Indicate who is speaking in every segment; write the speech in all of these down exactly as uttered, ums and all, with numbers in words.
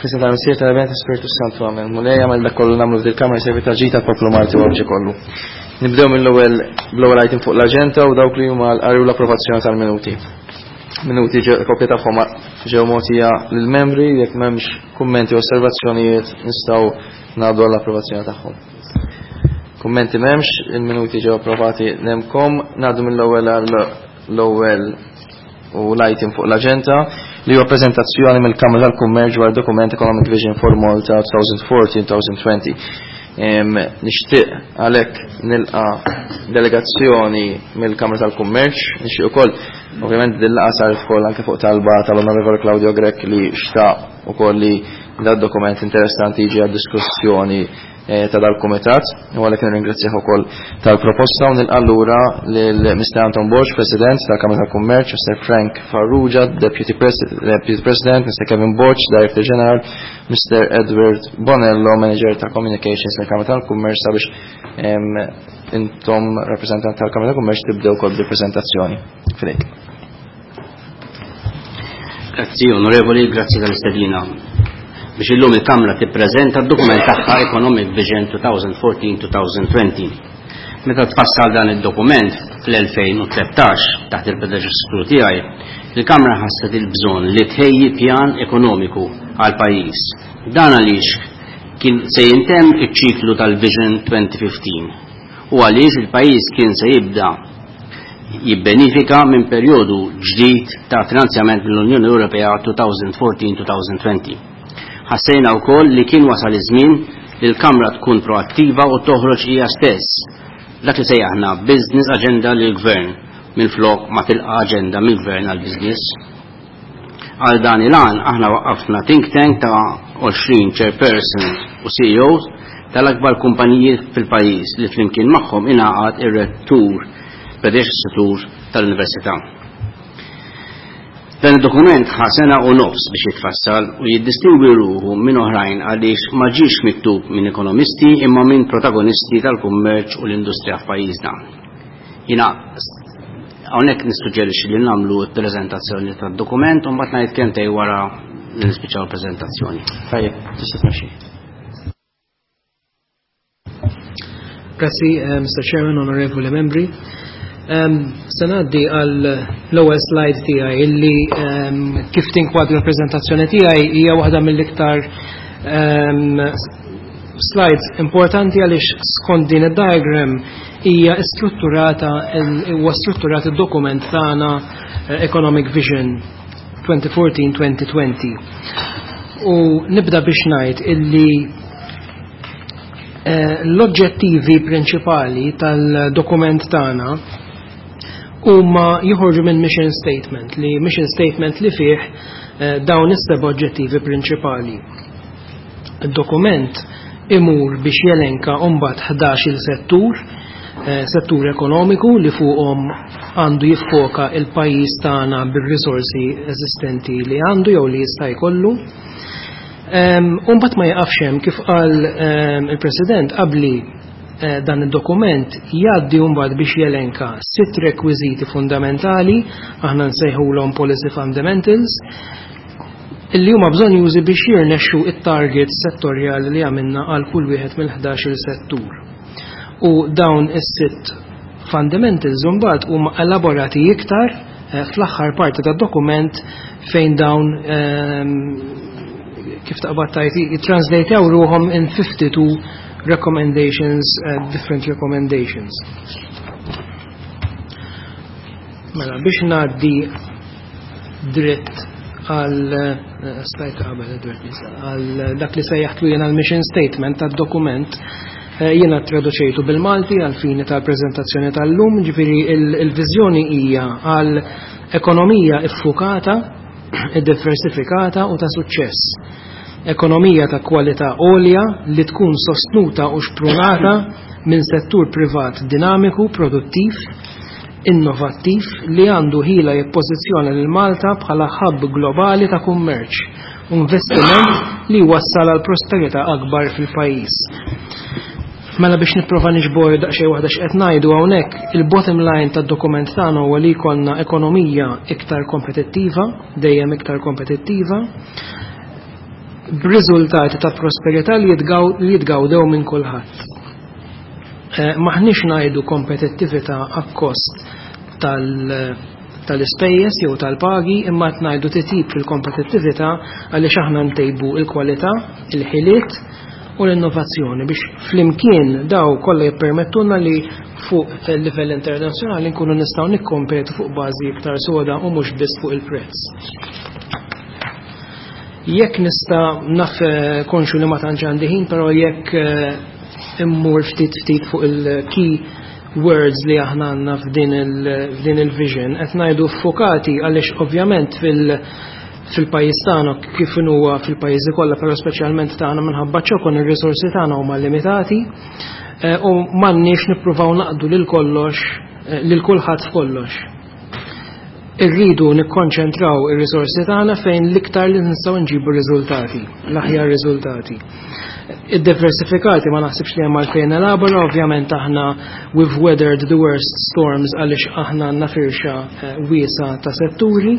Speaker 1: F'isem tal-Missier, tal-Iben, tal-Spiritu Santu, amen. Mulej, agħmel dak kollu nagħmlu f'dil-kamra jservi ta' ġid tal-poplu Malti u Għawdxi kollu. Nibdew mill-ewwel bl-ewwel item fuq l-aġenda u dawk li huma l-qari u l-approvazzjoni tal-minuti. Minuti kopja tagħhom ġew mogħtija lill-membri, jekk m'hemmx kummenti u osservazzjonijiet nistgħu ngħaddu għall-approvazzjoni tagħhom. Kummenti m'hemmx, il-minuti ġew approvati nemkom, ngħaddu mill-ewwel għall-ewwel u l-item fuq l-aġenda li huwa preżentazzjoni mill-Kamra tal-Kummerċ dwar dokument Economic Vision for Malta twenty fourteen-twenty twenty. Nixtieq għalhekk nilqa delegazzjoni mill-Kamra tal-Kummerċ, nixtieq ukoll ovvjament din-laqgħa saret ukoll anke fuq talba tal-Onorevole Claudio Grech, li xtaq ukoll li da dokument interessanti jiġi għad diskussjoni eh, ta' dal-kumitat, u għalhekk nirringrazzjah ukoll tal-proposta u nilqa' lura lil Mister Anton Borg, President tal-Kamra tal-Kummerċ, Mister Frank Farrugia, Deputy, Deputy President, Mister Kevin Borg, Director General, Mister Edward Bonello, Manager ta' Communications tal-Kamra tal-Kummerċ, sabiex intom rappresentant tal-Kamra tal-Kummerċ tibdew kol bil-prezentazzjoni. Fidejk.
Speaker 2: Grazzi, onorevoli, grazzi tal-istedina biex illum il-Kamra tippreżenta d-dokument tagħha Economic Vision twenty fourteen-twenty twenty. Meta tfassal dan id-dokument fl-elfejn u tlettax taħt il-predeċessur tiegħi, il-Kamra ħasset il-bżonn li tħejji pjan ekonomiku għal pajjiż. Dan għaliex kien se jintemm iċ-ċiklu tal-Vision twenty fifteen u għaliex il-pajjiż kien se jibda jibbenifika minn perjodu ġdid ta' finanzjament mill-Unjoni Ewropea twenty fourteen-twenty twenty. Ħassejna wkoll li kien wasal iż-żmien li l-Kamra tkun proattiva u toħroġ hija stess dak li sejjaħna business agenda lil gvern minn flok ma tilqa agenda mill-gvern għal business. Għal dan il-għan aħna waqqafna think tank ta' għoxrin chairperson u C E Os tal-akbar kumpaniji fil-pajjiż, li flimkien magħhom ingħaqad ir-rettur predeċessur tal-Università. Dan id-dokument ħa sena u nofs biex jitfassal u jiddistingwi ruħu minn oħrajn għaliex ma ġiex miktub minn ekonomisti imma minn protagonisti tal-kummerċ u l-industrija f'pajjiżna. Jiena hawnhekk nissuġġerixxi li nagħmlu l-preżentazzjoni tad-dokument u mbagħad ngħid kelmtejn wara li nispiċċaw il-preżentazzjoni.
Speaker 1: Tajjeb, tista' tmexxi.
Speaker 3: Grazzi, uh, Mister Chairman, onorevoli membri. Um, Se ngħaddi għal l-ewwel slide tiegħi illi um, kif tinkwadra l-preżentazzjoni tiegħi hija waħda mill-iktar um, slides importanti, għaliex skont din id-diagram hija strutturata, huwa strutturat id-dokument tagħna eh, Economic Vision twenty fourteen-twenty twenty. U nibda biex ngħid illi eh, l-oġġettivi prinċipali tal-dokument tagħna huma joħorġu minn mission statement, li mission statement li fih eh, dawn is-seba' oġġettivi prinċipali. Il-dokument imur biex jelenka mbagħad ħdax il settur, eh, settur ekonomiku li fuqhom għandu jiffoka il-pajjiż tagħna bir-risorsi eżistenti li għandu jew li jista' jkollu. Umbagħad ma jaqafx hemm. Kif qal il-President qabli, eh, dan id-dokument jgħaddi mbagħad biex jelenka sitt rekwiżiti fundamentali, aħna nsejħulhom policy fundamentals, illi huma bżonnjużi biex jirnexxu it-targets settorjali li għamilna għal kull wieħed mill-ħdax il settur. U dawn is-sitt fundamentals mbagħad huma elaborati iktar eh, fl-aħħar parti tad-dokument, fejn dawn ehm, kif taqbad tgħid jittranslatew ruhom in fifty-two recommendations, uh, different recommendations. Mela, biex ngħaddi dritt għal eh, slide qabel, Edward, għal dak li sejjaħtlu jiena l-mission statement tad-dokument, eh, jiena traduċejtu bil-Malti għal fini tal-prezentazzjoni tal-lum, ġifieri il-viżjoni hija għal ekonomija iffukata, diversifikata u ta' suċċess. Ekonomija ta' kwalità għolja li tkun sostnuta u xprunata minn settur privat dinamiku, produttiv, innovattiv li għandu ħila jippożizzjona lil Malta bħala hub globali ta' kummerċ u investiment li wassal għal prosperità akbar fil-pajjiż. Mela, biex nipprova niġbor daqsxejn waħda x'qed ngħidu hawnhekk, il-bottom line tad-dokument tagħna huwa li jkollna ekonomija iktar kompetittiva, dejjem iktar kompetittiva, b'riżultati ta' prosperità li jitgawdew minn kulħadd. Maħniex ngħidu kompetittività akkost tal-ispejjeż jew tal-pagi, imma qed ngħidu titjib fil-kompetittività għaliex aħna ntejbu il-kwalità, il-ħiliet u l-innovazzjoni biex flimkien daw kollha jippermettulna li fuq il-livell internazzjonali nkunu nistgħu nikkompetu fuq bażi iktar soda u mhux biss fuq il-prezz. Jekk nista' naf konxu li ma tantx għandi ħin, però jekk immur ftit ftit fuq il-key words li aħna għandna f'din il-vision, qed ngħidu ffukati għaliex ovvjament fil- fil-pajjiż tagħna kif huwa fil-pajjiżi kollha, però speċjalment tagħna minħabba ċokon ir-risorsi tagħna huma limitati u m'għandniex nippruvaw naqdu lil kollox lil kulħadd f'kollox. Irridu nikkonċentraw ir-risorsi tagħna fejn l-iktar li nistgħu nġibu riżultati, l-aħjar riżultati. Id-diversifikati ma naħsibx li hemm għalfejn elabora, ovvjament aħna we've weathered the worst storms għaliex aħna għandna firxa wiesa ta' setturi.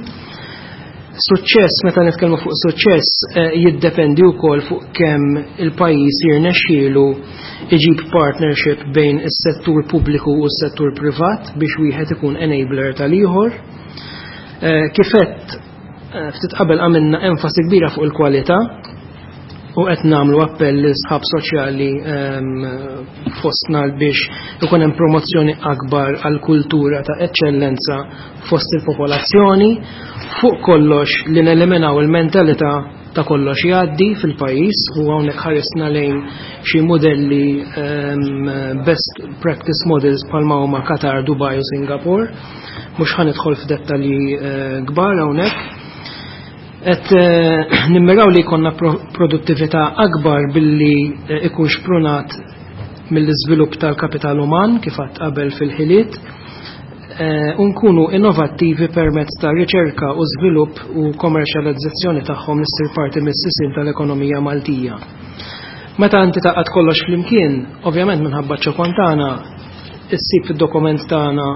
Speaker 3: Suċċess, meta nitkellmu fuq suċċess, jiddependi wkoll fuq kemm il-pajjiż jirnexxielu iġib partnership bejn is-settur pubbliku u s-settur privat biex wieħed ikun enabler tal-ieħor. Kif għedt ftit qabel għamilna enfasi kbira fuq il-kwalità u qed nagħmlu appell lil sħab soċjali fostna biex ikun hemm promozzjoni akbar għal kultura ta' eċċellenza fost il-popolazzjoni, fuq kollox li neliminaw il-mentalità ta' kollox jgħaddi fil-pajjiż u hawnhekk ħaresna lejn xi modelli best practice models bħalma huma Qatar, Dubai u Singapore. Mhux ħa nidħol f'dettalji kbar hawnhekk. Et nimmiraw li jkollna produttività akbar billi ikun xprunat mill-iżvilupp tal-kapital uman kif għadt qabel fil-ħiliet, u nkunu innovattivi permezz ta' riċerka u żvilupp u kommerċjalizzazzjoni tagħhom li ssir parti mis-sisien tal-ekonomija Maltija. Meta inti taqgħod kollox flimkien, ovvjament minħabba ċokon tagħna, issib fid-dokument tagħna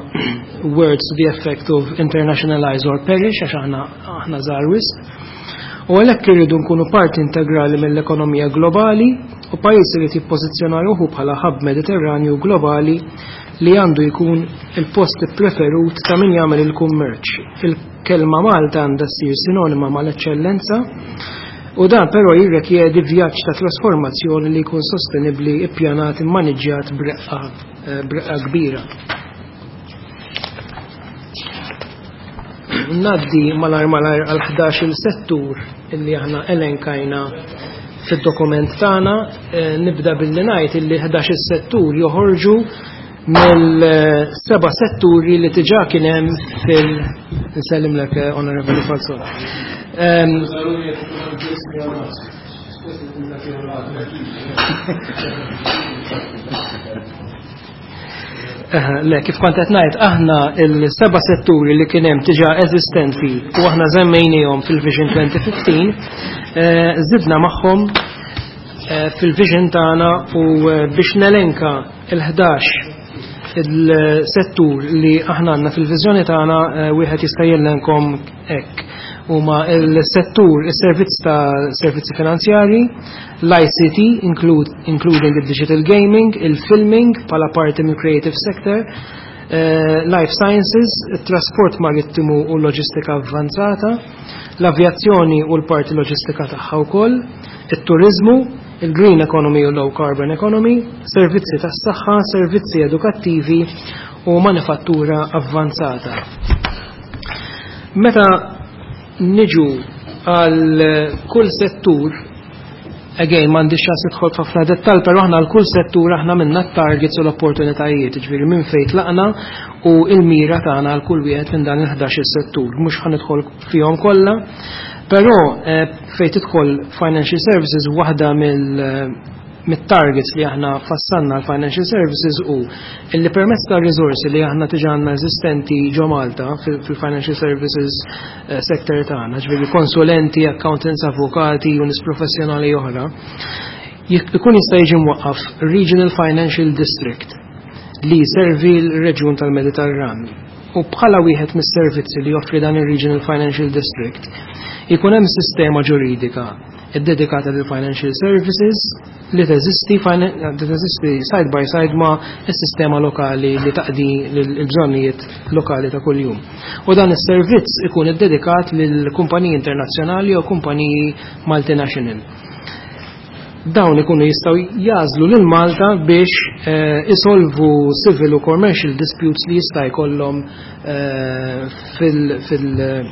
Speaker 3: words to the effect of internationalize or perish, għax aħna aħna żgħar wisq. U għalhekk irridu nkunu parti integrali mill-ekonomija globali u pajjiż irid jippożizzjona ruħu bħala hub Mediterranju globali li għandu jkun il-post preferut ta' min jagħmel il-kummerċ. Il-kelma Malta għandha ssir sinonima mal-eċċellenza u dan però jirrikjedi vjaġġ ta' trasformazzjoni li jkun sostenibbli, ippjanat, immaniġġjat b'reqqa b'reqqa kbira. Naddi malar malar għal ħdax-il settur illi aħna elenkajna fid-dokument tagħna. Nibda billi ngħid illi ħdax-il settur joħorġu mill-seba' setturi li diġà kien hemm fil nsellimlek Onorevoli Falzon. Le, kif kont qed ngħid, aħna il-seba' setturi li kien hemm diġà eżistenti u aħna żemmejniehom fil-Vision twenty fifteen, żidna magħhom fil-vision tagħna u biex nelenka il-ħdax il-settur li aħna għandna fil-viżjoni tagħna, wieħed jista' jellenkom hekk. Huma il-settur, is-servizz ta' servizzi finanzjarji, l-I C T, include, including the digital gaming, il-filming bħala parti mill creative sector, eh, life sciences, il-trasport marittimu u l-loġistika avvanzata, l-avjazzjoni u l-parti loġistika tagħha wkoll, it-turizmu, il-green economy u low carbon economy, servizzi tas-saħħa, servizzi edukattivi u manifattura avvanzata. Meta niġu għal kull settur, again m'għandix ċans nidħol f'ħafna dettall, però aħna għal kull settur aħna minna t-targets u l-opportunitajiet, ġifieri minn fejn tlaqna u l-mira tagħna għal kull wieħed minn dan il-ħdax-il settur. Mhux ħa nidħol fihom kollha, però fejn tidħol financial services waħda mill mit-targets li aħna fassanna għal financial services u illi permezz ta' risorsi li aħna diġà għandna eżistenti ġo Malta fil-financial services sector tagħna, ġifieri konsulenti, accountants, avukati u nies professjonali oħra, ikun jista' jiġi mwaqqaf Regional Financial District li jservi l-reġjun tal-Mediterran. U bħala wieħed mis-servizzi li joffri dan ir-Regional Financial District ikun hemm sistema ġuridika ddedikata lil financial services li teżisti li teżisti side by side ma' s-sistema lokali li taqdi l-bżonnijiet lokali ta' kuljum. U dan is-servizz ikun iddedikat lil kumpaniji internazzjonali jew kumpaniji multinational. Dawn ikunu jistgħu jagħżlu lil Malta biex eh, isolvu civil u commercial disputes li jista' jkollhom eh, fil, fil eh,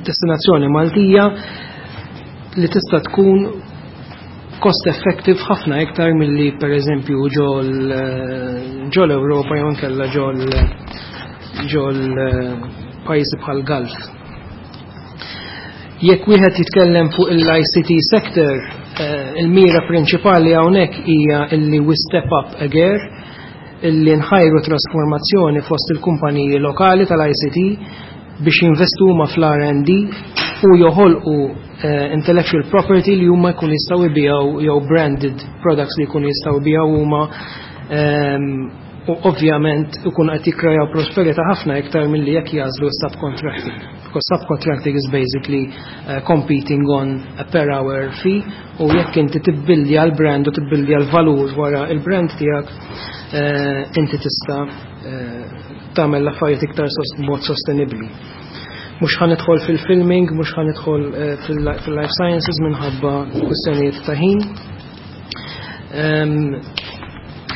Speaker 3: destinazzjoni Maltija li tista' tkun cost effective ħafna iktar milli per eżempju ġol ġol Ewropa jew inkella ġol ġol pajjiżi bħal Gulf. Jekk wieħed jitkellem fuq il-I C T sector, eh, il-mira prinċipali hawnhekk hija illi we step up a gear, illi nħajru trasformazzjoni fost il-kumpaniji lokali tal-I C T biex jinvestu huma fl-R and D u joħolqu eh, intellectual property li huma jkun jistgħu jbigħu jew branded products li jkunu jistgħu jbigħu huma ehm, u ovvjament ikun qed jikkrejaw prosperità ħafna iktar milli jekk jagħżlu subcontracting. Because subcontracting is basically uh, competing on a per hour fee u jekk inti tibbildja l-brand u tibbildja l-valur wara il-brand tiegħek uh, inti tista' uh, tagħmel l-affarijiet iktar mod sostenibbli. Mhux ħa nidħol fil-filming, mhux ħa nidħol fil-life sciences minħabba kwistjonijiet ta' ħin. Um,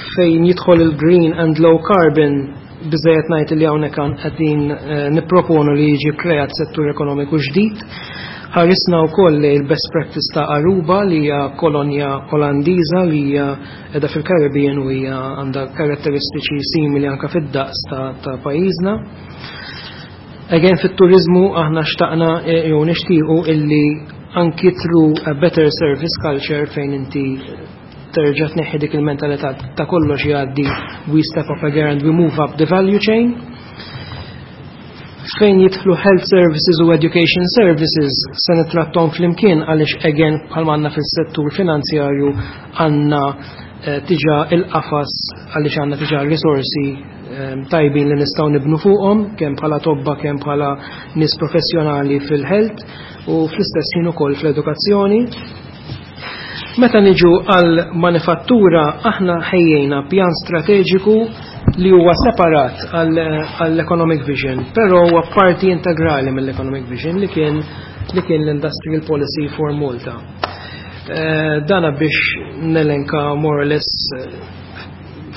Speaker 3: fejn jidħol il-green and low carbon, biżejjed ngħid li hawnhekk qegħdin eh, nipproponu li jiġi kreat settur ekonomiku ġdid. Ħarisna wkoll li l-best practice ta' Aruba, li hija kolonja Olandiża li hija qiegħda fil-Caribbean u hija għandha karatteristiċi simili anke fid-daqs ta', ta pajjiżna. Again, fit-turizmu aħna xtaqna eh, jew nixtiequ illi anki through a better service culture, fejn inti terġa' tneħħi dik il-mentalità ta' kollox jgħaddi, we step up again and we move up the value chain. Fejn jidħlu health services u education services se nitrattom flimkien għaliex again, bħalma għandna fis-settur finanzjarju, għandna eh, diġà il-qafas għaliex għandna diġà risorsi eh, tajbin li nistgħu nibnu fuqhom, kemm bħala tobba, kemm bħala nies professjonali fil-health u fl-istess ħin ukoll fl-edukazzjoni. Meta niġu għal manifattura, aħna ħejjejna pjan strateġiku li huwa separat għall-Economic Vision, però huwa parti integrali mill-Economic Vision li kien li kien l-Industrial Policy for Malta. Eh, dana biex nelenka more or less eh,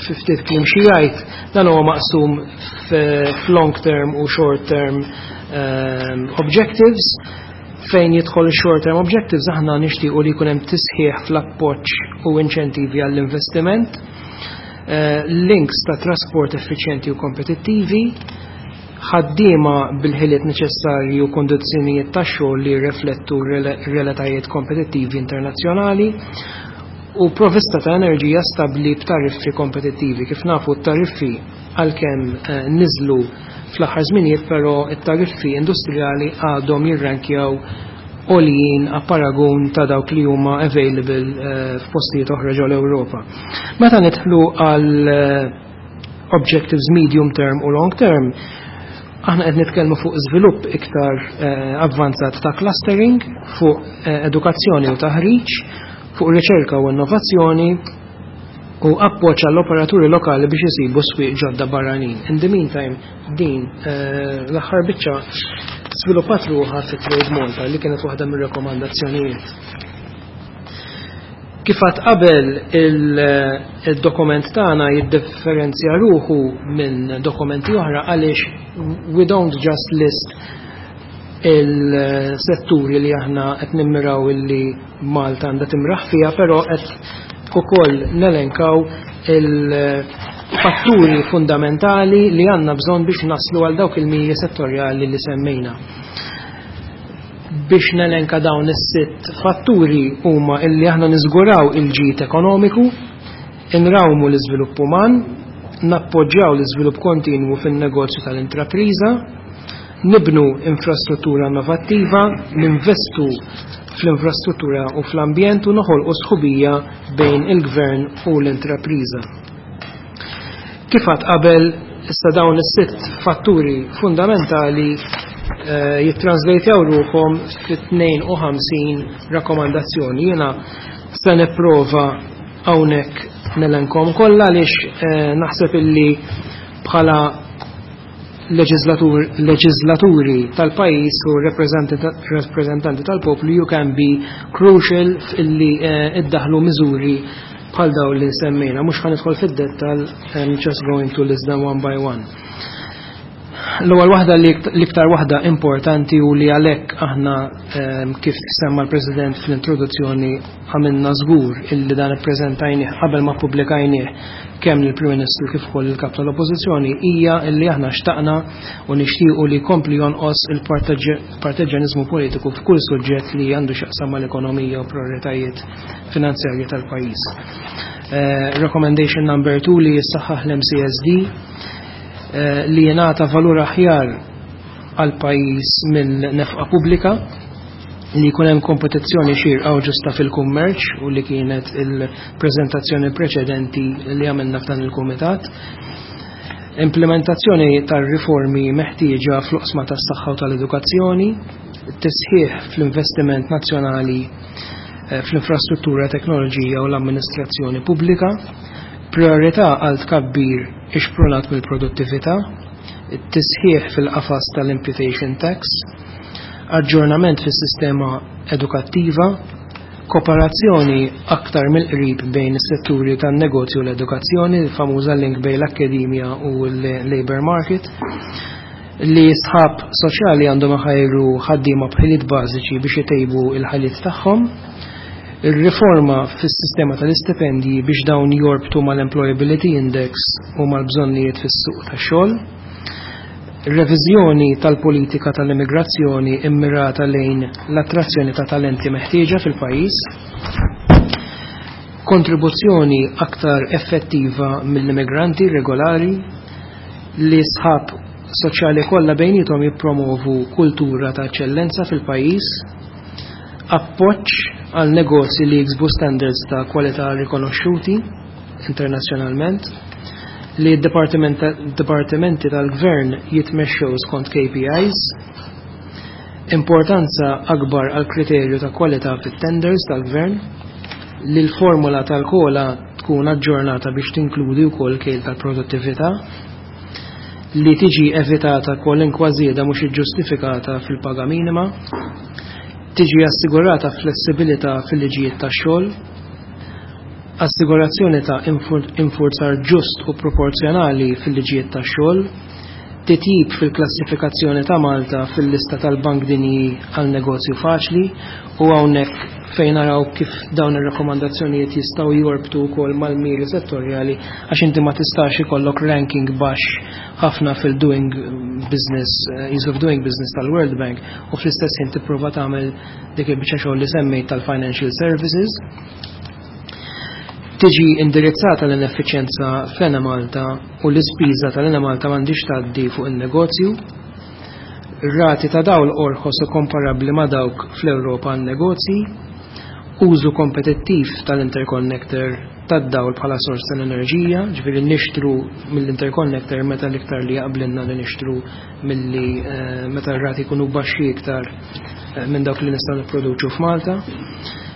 Speaker 3: ftit kliem xi jgħid, dan huwa maqsum f'long term u short term um, objectives. Fejn jidħol short term objectives, aħna nixtiequ li jkun hemm tisħiħ fl-appoġġ u inċentivi għall-investiment, eh, links ta' trasport effiċjenti u kompetittivi, ħaddiema bil-ħiliet neċessarji u kondizzjonijiet ta' xogħol li jirriflettu realtajiet kompetittivi internazzjonali u provista ta' enerġija stabbli b'tariffi kompetittivi. Kif nafu, t-tariffi għalkemm eh, niżlu fl-aħħar żminijiet, però t-tariffi industrijali għadhom jirrankjaw għoljin a paragun ta' dawk li huma available eh, f'postijiet oħra ġol Ewropa. Meta nidħlu għal eh, objectives medium term u long term, aħna qed nitkellmu fuq żvilupp iktar eh, avvanzat ta' clustering, fuq edukazzjoni u taħriġ, fuq riċerka u innovazzjoni u appoġġ għall-operaturi lokali biex isibu swieq ġodda barranin. In the meantime, din eh, l-aħħar biċċa sviluppat ruħha fi Trade Malta li kienet waħda mir-rekomandazzjonijiet. Kif għedt qabel, il-dokument tagħna jiddifferenzja ruħu minn dokumenti oħra għaliex we don't just list il-setturi li aħna qed nimmiraw illi Malta għandha timraħ fiha, però qed ukoll nelenkaw il-fatturi fundamentali li għandna bżonn biex naslu għal dawk il-miri settorjali li semmejna. Biex nelenka, dawn is-sitt fatturi huma illi aħna niżguraw il-ġid ekonomiku, inrawmu l-iżvilupp uman, nappoġġjaw l-iżvilupp kontinwu fin-negozju tal-intrapriża, nibnu infrastruttura innovattiva, ninvestu fl-infrastruttura u fl-ambjent u noħolqu sħubija bejn il-gvern u l-intrapriża. Kif għedt qabel, issa dawn is-sitt fatturi fundamentali jittranslejtjaw ruħhom fi tnejn u ħamsin rakkomandazzjoni. Jiena se nipprova hawnhekk nelenkhom kollha għaliex eh, naħseb illi bħala leġislaturi tal-pajjiż u rappresentanti tal-poplu you can be crucial illi eh, iddaħlu miżuri bħal daw li semmejna. Mhux ħa nidħol fid-dettal, I'm just going to list them one by one. L-ewwel waħda, l-iktar waħda importanti u li għalhekk aħna, kif semma l-President fl-introduzzjoni, għamilna żgur illi dan ippreżentajnih qabel ma pubblikajnih kemm lill-Prim Ministru kif ukoll il-Kap tal-Oppożizzjoni, hija illi aħna xtaqna u nixtiequ li jkompli jonqos il-parteġġjaniżmu politiku f'kull suġġett li għandu x'jaqsam mal-ekonomija u prioritajiet finanzjarji tal-pajjiż. Uh, recommendation number two, li jissaħħaħ l-M C S D, Eh, li jingħata valur aħjar għal pajjiż mill-nefqa pubblika, li jkun hemm kompetizzjoni xierqa u ġusta fil-kummerċ, u li kienet il-preżentazzjoni preċedenti li għamilna f'dan il-kumitat. Implementazzjoni tar-riformi meħtieġa fl-oqsma tas-saħħa u tal-edukazzjoni, tisħiħ fl-investiment nazzjonali eh, fl-infrastruttura, teknoloġija u l-amministrazzjoni pubblika, priorità għal tkabbir ixprunat mill-produttività, tisħiħ fil-qafas tal-imputation tax, aġġornament fis-sistema edukattiva, kooperazzjoni aktar mill-qrib bejn is-setturi tan-negozju u l-edukazzjoni, il-famuża link bejn l-akkademja u l-labor market, li sħab soċjali għandhom iħajru ħaddiema b'ħiliet bażiċi biex itejbu il-ħiliet tagħhom, il-riforma fis-sistema tal-istipendji biex dawn jorbtu mal-Employability Index u mal-bżonnijiet fis-suq tax-xogħol, reviżjoni tal-politika tal-immigrazzjoni immirata lejn l-attrazzjoni ta' talenti meħtieġa fil-pajjiż, kontribuzzjoni aktar effettiva mill-immigranti regolari, li sħab soċjali kollha bejnietom jippromovu kultura ta' eċċellenza fil-pajjiż, appoġġ għal negozji li jiksbu standards ta' kwalità rikonoxxuti internazzjonalment, li d-dipartimenti tal-gvern jitmexxew skont K P Is, importanza akbar għal kriterju ta' kwalità fit-tenders tal-gvern, li l-formula tal-COLA tkun aġġornata biex tinkludi wkoll kejl tal-produttività, li tiġi evitata kwalinkwa żieda mhux iġġustifikata fil-paga minima, tiġi assigurata flessibilità fil-liġijiet tax-xogħol, assigurazzjoni ta' infurzar ġust u proporzjonali fil-liġijiet tax-xogħol, titjib fil-klassifikazzjoni ta' Malta fil-lista tal-Bank Dinji għal negozju faċli, u hawnhekk fejn naraw kif dawn ir-rakkomandazzjonijiet jistgħu jorbtu wkoll mal-miri settorjali, għax inti ma tistax ikollok ranking baxx ħafna fil-doing business, eh, ease of doing business tal-World Bank, u fl-istess ħin tipprova tagħmel dik il-biċċa xogħol li semmejt tal-financial services. Tiġi indirizzata l-ineffiċjenza fl-Enemalta u l-ispiża tal-Enemalta m'għandix tgħaddi fuq il-negozju. Rati ta' dawl orħos u komparabbli ma' dawk fl-Ewropa għan negozji, użu kompetittiv tal-interconnector tad-dawl bħala sors tal-enerġija, ġifieri nixtru mill-interconnector meta l-iktar li jaqblinna li nixtru milli eh, meta r-rati jkunu baxxi iktar eh, minn dawk li nistgħu nipproduċu f'Malta.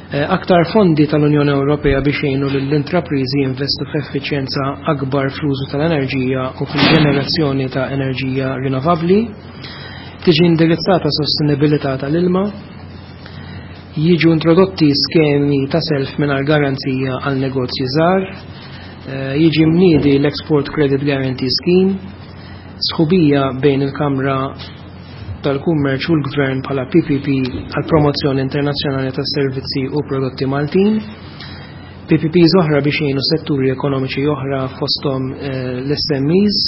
Speaker 3: Eh, aktar fondi tal-Unjoni Ewropea biex jgħinu lill-intrapriżi jinvestu f'effiċjenza akbar fl-użu tal-enerġija u fil-ġenerazzjoni ta' enerġija rinnovabbli, tiġi indirizzata sostenibilità tal-ilma, jiġu introdotti skemi ta' self mingħajr garanzija għal negozji żgħar, eh, jiġi mniedi l-Export Credit Guarantee Scheme, sħubija bejn il-Kamra tal-Kummerċ u l-Gvern bħala P P P għal promozzjoni internazzjonali tas servizzi u prodotti Maltin, P P P oħra biex jgħinu setturi ekonomiċi oħra, fosthom eh, l-S M Es,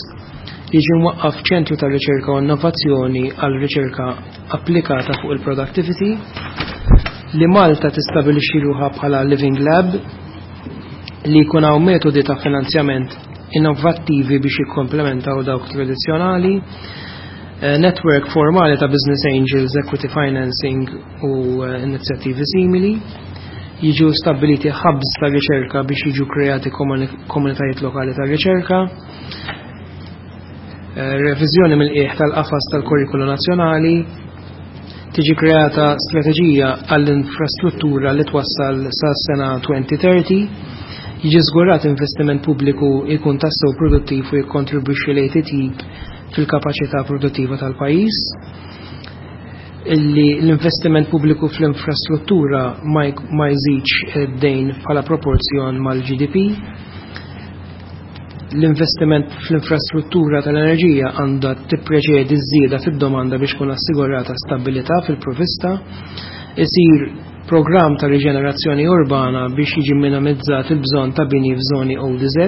Speaker 3: jiġi mwaqqaf ċentru ta' riċerka u innovazzjoni għal riċerka applikata fuq il-productivity, li Malta tistabilixxi ruħha bħala Living Lab, li jkun hawn metodi ta' finanzjament innovattivi biex jikkomplementaw dawk tradizzjonali, eh, network formali ta' business angels, equity financing u eh, inizjattivi simili, jiġu stabiliti hubs ta' riċerka biex jiġu kreati komunitajiet lokali ta' riċerka, Reviżjoni mill-qiegħ tal-qafas tal-kurrikulu nazzjonali, tiġi kreata strateġija għall-infrastruttura li twassal sa sena elfejn u tletin, jiġi żgurat investiment pubbliku jkun tassew produttiv u jikkontribwixxi lejn titjib fil-kapaċità produttiva tal-pajjiż, illi l-investiment pubbliku fl-infrastruttura ma jżidx id-dejn bħala proporzjon mal-G D P, l-investiment fl-infrastruttura tal-enerġija għandha tippreċedi ż-żieda fid-domanda biex tkun assigurata stabilità fil-provvista, isir programm ta' riġenerazzjoni urbana biex jiġi minimizzat il-bżonn ta' bini f'żoni O D Z,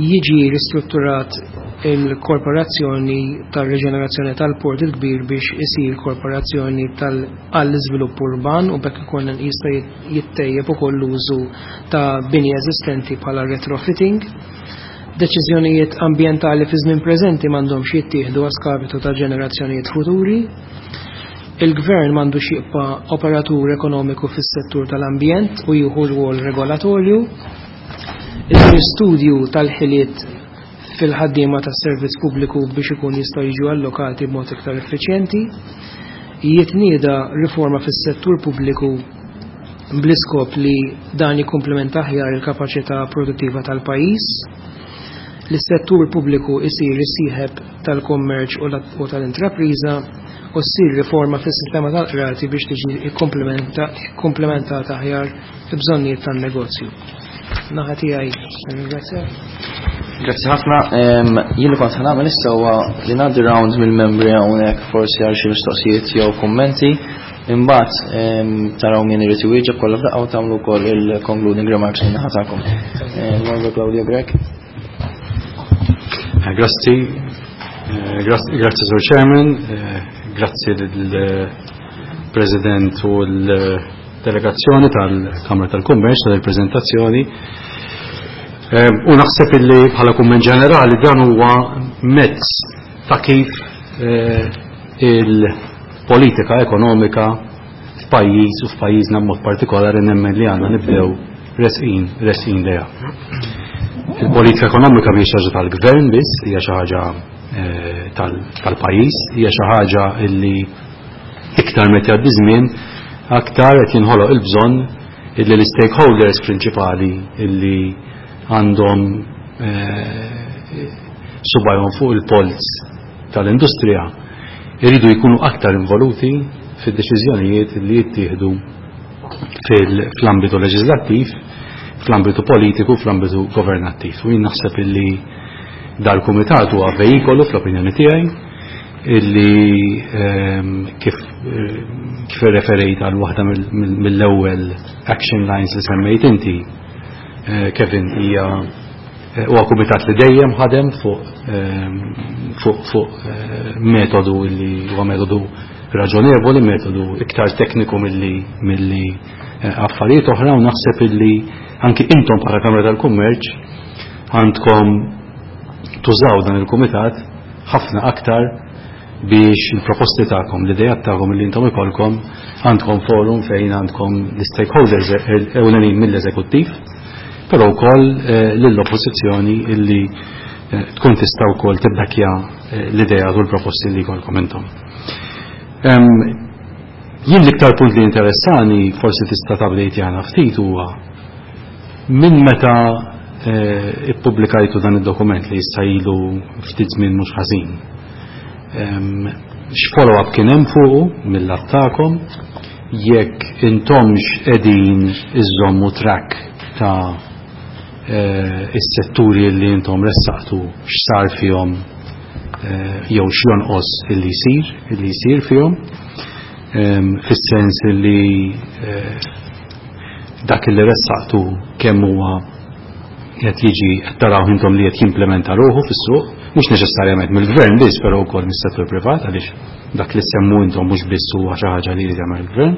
Speaker 3: jiġi ristrutturat il-korporazzjoni tal-riġenerazzjoni tal-Port il-Kbir biex isir korporazzjoni għall-iżvilupp urban u bekk ikun jista' jittejjeb ukoll l-użu ta' bini eżistenti bħala retrofitting. Deċiżjonijiet ambjentali fi żmien preżenti m'għandhomx jittieħdu għaskapitu ta' ġenerazzjonijiet futuri. Il-gvern m'għandux jibqa' operatur ekonomiku fis-settur tal-ambjent u jieħu rwol regolatorju. Isir studju tal-ħiliet fil-ħaddiema tas-servizz pubbliku biex ikun jistgħu jiġu allokati b'mod iktar effiċjenti. Jitnieda riforma fis-settur pubbliku bl-iskop li dan jikkumplementa aħjar il-kapaċità produttiva tal-pajjiż. Li s-settur pubbliku isir is-sieħeb tal-kummerċ u tal-intrapriża u ssir riforma fis-sistema tal-qrati biex tiġi ikkumplementata aħjar il-bżonnijiet tan-negozju. Naħa tiegħi, ringrazzjak.
Speaker 1: Grazzi ħafna. Jien li kont ħanagħmel issa huwa li ngħaddi round mill-membri hawnhekk forsi għal xi mistoqsijiet jew kummenti. Imbagħad taraw min irid iwieġeb kollha f'daqqa u tagħmlu wkoll il-concluding remarks minn naħa tagħkom. Margo Claudio Grech.
Speaker 4: Grazzi, grazzi Sur Chairman, grazzi lill-President u l-delegazzjoni tal-Kamra tal-Kummerċ tal-prezentazzjoni. U naħseb illi bħala kumment ġenerali dan huwa mezz ta' kif il-politika ekonomika f'pajjiż u f'pajjiżna b'mod partikolari nemmen li għandna nibdew resqin, resqin lejha. Il-politika ekonomika mhijiex xi ħaġa tal-gvern biss, hija xi ħaġa tal-pajjiż, hija xi ħaġa illi iktar meta jgħaddi żmien aktar qed jinħoloq il-bżonn illi l-stakeholders prinċipali illi għandhom subajhom fuq il-polz tal-industrija iridu jkunu aktar involuti fid-deċiżjonijiet li jittieħdu fl-ambitu leġislattiv, fl-ambitu politiku, fl-ambitu governattiv. U jien naħseb illi dal-kumitat huwa veikolu fl-opinjoni tiegħi illi kif kif referejt għal waħda mill-ewwel action lines li semmejt inti, Kevin, hija huwa kumitat li dejjem ħadem fuq fuq fuq metodu li huwa metodu raġonevoli, metodu iktar tekniku milli milli affarijiet oħra, u naħseb illi anki intom bħala Kamra tal-Kummerċ għandkom tużaw dan il-kumitat ħafna aktar biex il-proposti tagħkom, l-idejat tagħkom li intom ikolkom, għandkom forum fejn għandkom l-stakeholders ewlenin mill-eżekuttiv, però wkoll lill-oppożizzjoni illi tkun tista' wkoll tibbekkja l-idea u l-proposti li jkollkom intom. Jien l-iktar punt li interessani, forsi tista' tabdejt jagħna ftit, huwa minn meta ippubblikajtu dan id-dokument li issa ilu ftit żmien mhux ħażin. X'follow-up kien hemm fuqu mill-lat tagħkom, jekk intomx qegħdin iżommu track ta' is-setturi li intom ressaqtu x'sar fihom jew x'jonqos illi jsir, illi jsir fihom, fis-sens illi dak illi ressaqtu kemm huwa qed jiġi qed taraw intom li qed jimplementa ruħu fis-suq, mhux neċessarjament mill-gvern biss, però wkoll mis-settur privat, għaliex dak li semmu intom mhux biss huwa xi ħaġa li jrid jagħmel il-gvern.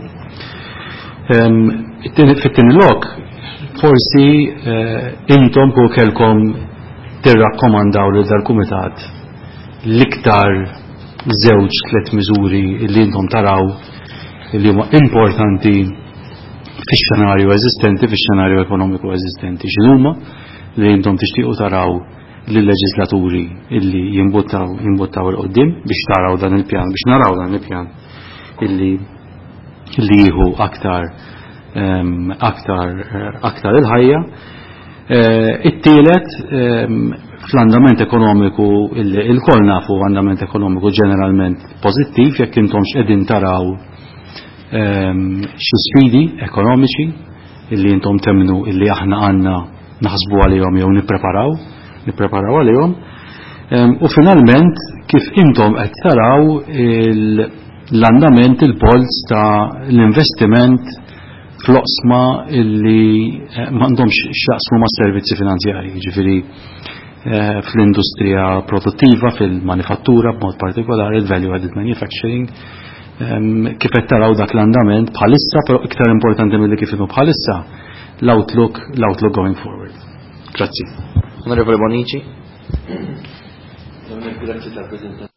Speaker 4: Fit-tieni lok, forsi intom ku kelkom tirrakkomandaw lil dal-kumitat l-iktar żewġ tliet miżuri li intom taraw li huma importanti fix-xenarju eżistenti, fix-xenarju ekonomiku eżistenti. X'inhuma li intom tixtiequ taraw lill-leġislaturi illi jimbuttaw jimbuttaw 'il quddiem biex taraw dan il-pjan, biex naraw dan il-pjan illi illi jieħu aktar aktar aktar il-ħajja. It-tielet, fl-andament ekonomiku il-koll nafu andament ekonomiku ġeneralment pożittiv, jekk intom x'qegħdin taraw xi sfidi ekonomiċi illi intom temnu illi aħna għandna naħsbu għalihom jew nippreparaw nippreparaw għalihom. U finalment kif intom qed taraw l-andament, il-polz ta' l-investiment fl-oqsma illi m'għandhomx x'jaqsmu ma' servizzi finanzjarji, ġifieri fl-industrija produttiva, fil-manifattura b'mod partikolari, il-value added manufacturing, kif qed taraw dak l-andament bħalissa, però iktar importanti milli kif inhu bħalissa l-outlook l-outlook going forward. Grazzi.
Speaker 1: Onorevole Bonici. Grazzi tal-prezentazzjoni.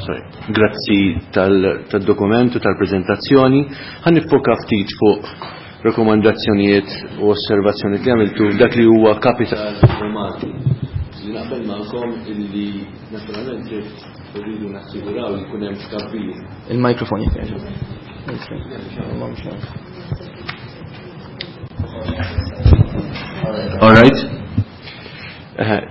Speaker 5: Sorry. Grazzi tal-dokument u tal-prezentazzjoni. Ħa niffoka ftit fuq rekomandazzjonijiet u osservazzjonijiet li għamiltu dak li huwa kapital Malti. Li naqbel magħkom illi naturalment irridu nassiguraw li jkun hemm tkabbir.
Speaker 1: Il-mikrofon jekk.
Speaker 5: All right.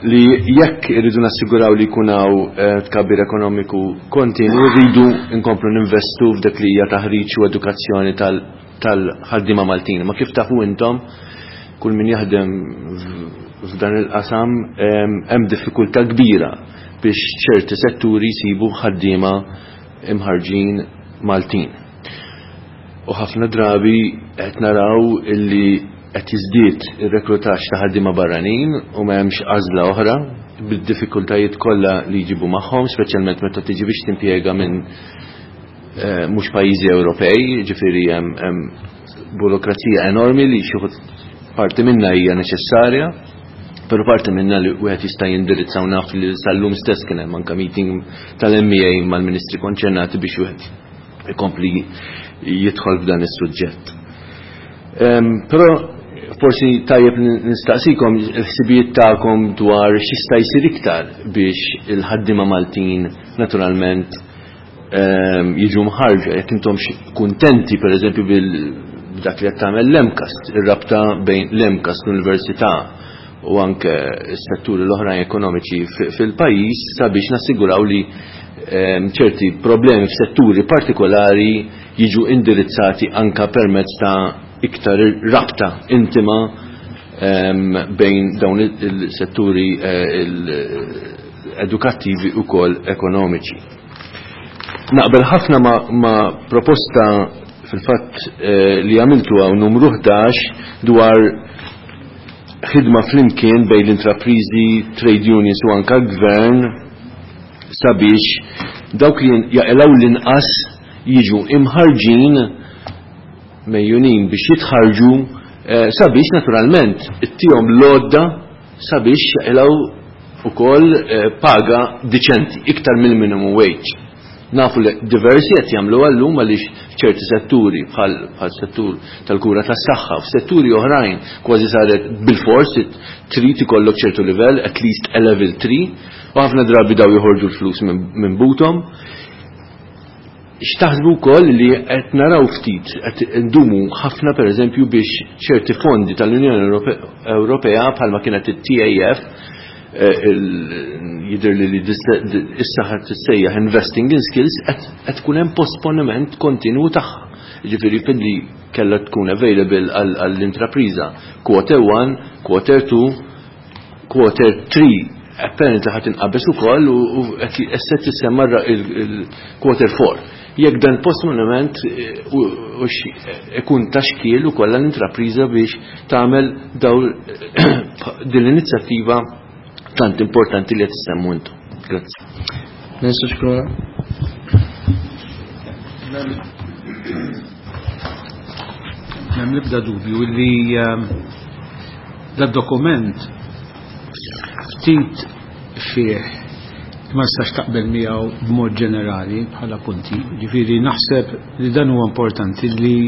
Speaker 5: Li jekk irridu nassiguraw li jkun hawn tkabbir ekonomiku kontinu, rridu nkomplu ninvestu f'dak li hija taħriġ u edukazzjoni tal-ħaddiema Maltin. Ma kif tafu intom, kull min jaħdem f'dan il-qasam hemm diffikultà kbira biex ċerti setturi jsibu ħaddiema imħarġin Maltin. U ħafna drabi qed naraw illi qed jiżdied ir-reklutaġġ ta' ħaddiema barranin u ma hemmx għażla oħra bid-diffikultajiet kollha li jġibu magħhom, speċjalment meta tiġi biex timpjega minn mhux pajjiżi Ewropej, ġifieri hemm burokrazija enormi li xi parti minnha hija neċessarja, però parti minnha li wieħed jista' jindirizza u naf li sal-lum stess kien hemm anke meeting tal-M E A mal-ministri konċernati biex wieħed ikompli jidħol f'dan is-suġġett. Però forsi tajjeb nistaqsikom il-ħsibijiet tagħkom dwar x'jista' jsir iktar biex il-ħaddiema Maltin naturalment jiġu mħarġa, jekk intom kuntenti pereżempju bil-dak li qed tagħmel l-MCAST, ir-rabta bejn l-MCAST, l-Università u anke s-setturi l-oħrajn ekonomiċi fil-pajjiż sabiex nassiguraw li ċerti problemi f'setturi partikolari jiġu indirizzati anka permezz ta' iktar rabta intima bejn dawn il-setturi edukattivi u kol ekonomiċi. Naqbel ħafna ma, ma proposta fil-fatt li għamiltu għaw numru ħdax dwar ħidma flimkien bejn l-intraprizi, trade unions u anka gvern sabiex dawk li jaqilgħu l-inqas jiġu imħarġin mejjunin biex jitħarġu sabiex naturalment ittihom l-għodda sabiex jaqilgħu ukoll paga diċenti iktar mill-minimum wage. Nafu li diversi qed jagħmlu llum għaliex f'ċerti setturi bħal bħal settur tal-kura tas-saħħa, f'setturi oħrajn kważi saret bil-fors trid ikollok ċertu livell, at least a level three, u ħafna drabi daw joħorġu l-flus minn buthom. X'taħsbu wkoll li qed naraw ftit qed ndumu ħafna pereżempju biex ċerti fondi tal-Unjoni Ewropea bħalma kienet it-T A F, jidher li li issa ħadd tissejjaħ Investing in Skills, qed tkun hemm posponiment kontinu tagħha. Jiġifieri filli kellha tkun available għall-intrapriża quarter one, quarter two, quarter three, apparently ħadd inqabeż ukoll u qed issa tissemma il-quarter four. Jekk dan posponiment ikun ta' xkiel ukoll għall-intrapriża biex tagħmel daw din l-inizjattiva tant importanti li qed issemmu intom. Grazzi.
Speaker 1: Ministru Scicluna.
Speaker 6: M'hemm l-ebda dubju li dad-dokument ftit fih ma nistax taqbel miegħu b'mod ġenerali bħala punti. Ġifieri naħseb li dan huwa importanti li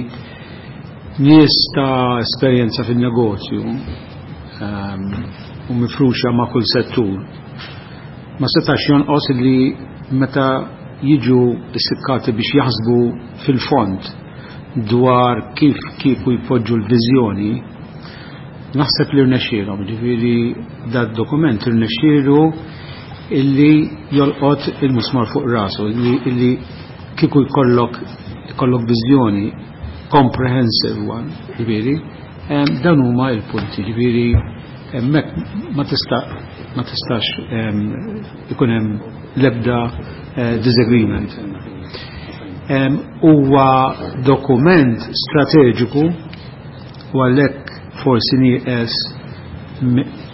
Speaker 6: nies ta' esperjenza fin-negozju um, u mifruxa ma' kull settur, ma setax jonqos li meta jiġu issikkati biex jaħsbu fil-fond dwar kif kieku jpoġġu l-viżjoni, naħseb li rnexxielhom, ġifieri dat dokument rnexxielu illi jolqot il-musmar fuq rasu, illi, illi kieku jkollok jkollok viżjoni comprehensive one, ġifieri, dan huma il-punti, ġifieri hemmhekk ma tista' ma tistax ikun hemm l-ebda disagreement. Huwa dokument strateġiku u għalhekk forsi nieqes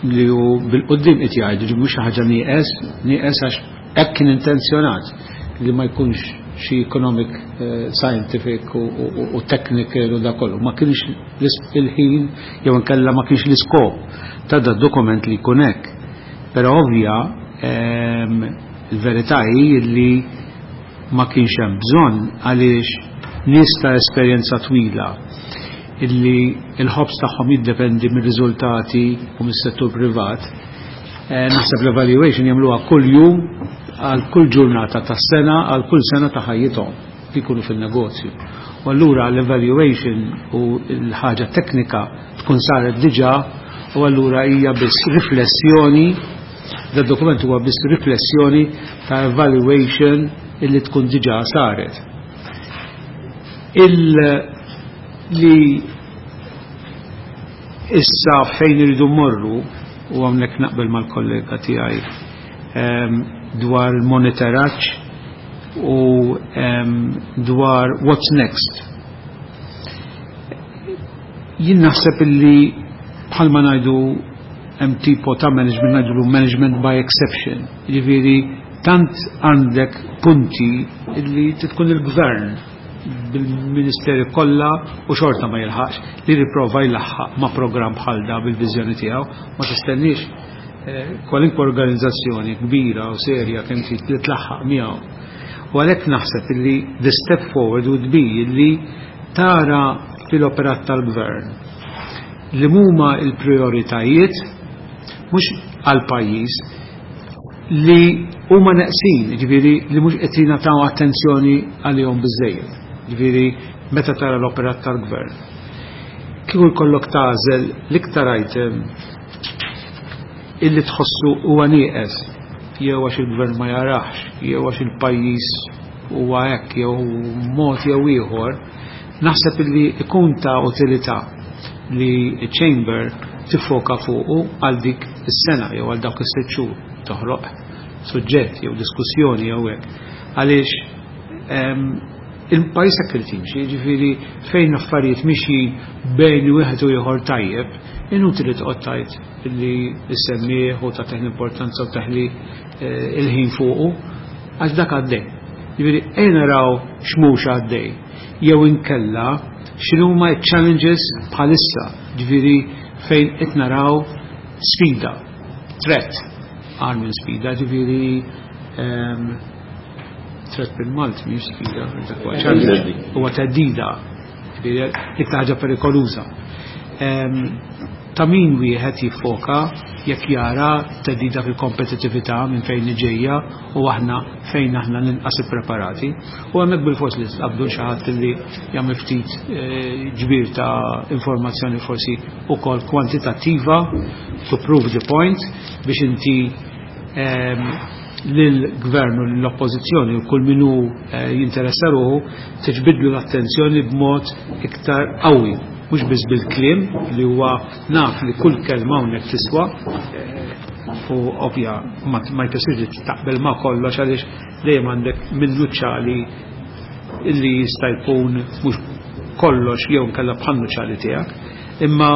Speaker 6: li hu bil-qudiem qed jgħidu ġi mhux ħaġa nieqes, nieqes għax hekk kien intenzjonat li ma jkunx xi economic, uh, scientific u, u, u technical u da kollu. Ma kienx il-ħin jew inkella ma kienx l-iskop ta' da dokument li jkun hekk. Però ovvja il-verità hi li ma kienx hemm bżonn għaliex nies ta' esperjenza twila illi il-ħobż tagħhom jiddependi mir-riżultati u mis-settur privat. Eh, naħseb l-evaluation jagħmluha kull jum għal kull ġurnata tas-sena għal kull sena ta' ħajjithom li jkunu fin-negozju. U allura l-evaluation u l-ħaġa teknika tkun saret diġà u allura hija biss riflessjoni, da dokument huwa biss riflessjoni ta' evaluation illi tkun diġà saret. Il li issa fejn iridu mmorru, u hawnhekk naqbel mal-kollega tiegħi um, dwar il-monitoraġġ u um, dwar what's next. Jien naħseb illi bħalma ngħidu hemm tipo ta' management ngħidu management by exception. Jiġifieri tant għandek punti illi tkun il-gvern bil-ministeri kollha u xorta ma jilħaqx li riprova jlaħħaq ma' programm bħal da bil-viżjoni tiegħu, ma tistenniex eh, kwalinkwa organizzazzjoni kbira u serja kemm trid li tlaħħaq miegħu. U għalhekk naħseb illi the step forward would be illi tara fil-operat tal-gvern li huma il-prioritajiet mhux għal-pajjiż li huma neqsin, ġifieri li mhux qed jingħataw attenzjoni għalihom biżejjed. Ġifieri meta tara l-operat tal-gvern. Kieku jkollok tagħżel l-iktar item illi tħossu huwa nieqes jew għax il-gvern ma jarax, jew għax il-pajjiż huwa hekk jew mod jew ieħor, naħseb illi ikun ta' utilità li chamber tiffoka fuqu għal dik is-sena jew għal dawk is-sitt xhur toħloq suġġett jew diskussjoni jew hekk. Għaliex il-pajjiż hekk irid jimxi, jiġifieri fejn affarijiet mixi bejn wieħed u ieħor tajjeb, inutili toqgħod tgħid illi issemmih u tagħtih l-importanza u taħli il-ħin fuqu, għax dak għaddej. Jiġifieri ejja naraw x'mhux għaddej jew inkella x'inhuma challenges bħalissa, ġifieri fejn qed naraw sfida, threat, għal minn sfida, ġifieri threat bil-Malti mhix sfida, huwa theddida, ġifieri iktar ħaġa perikoluża. Ta' min wieħed jiffoka jekk jara theddida fil-kompetitività minn fejn ġejja u aħna fejn aħna ninqas ippreparati. U hemmhekk bil-fors li tqabdu xi ħadd li jagħmel ftit ġbir ta' informazzjoni forsi ukoll kwantitattiva to prove the point biex inti lill-gvern u l-oppożizzjoni u kull min hu jinteressa ruħu tiġbidlu l-attenzjoni b'mod iktar qawwi. Mhux biss bil-kliem li huwa naf li kull kelma hawnhekk tiswa u ovvja ma jfissirx li taqbel ma kollox għaliex dejjem għandek minnu ċali illi jista' jkun mhux kollox jew nkella bħannu ċali tiegħek, imma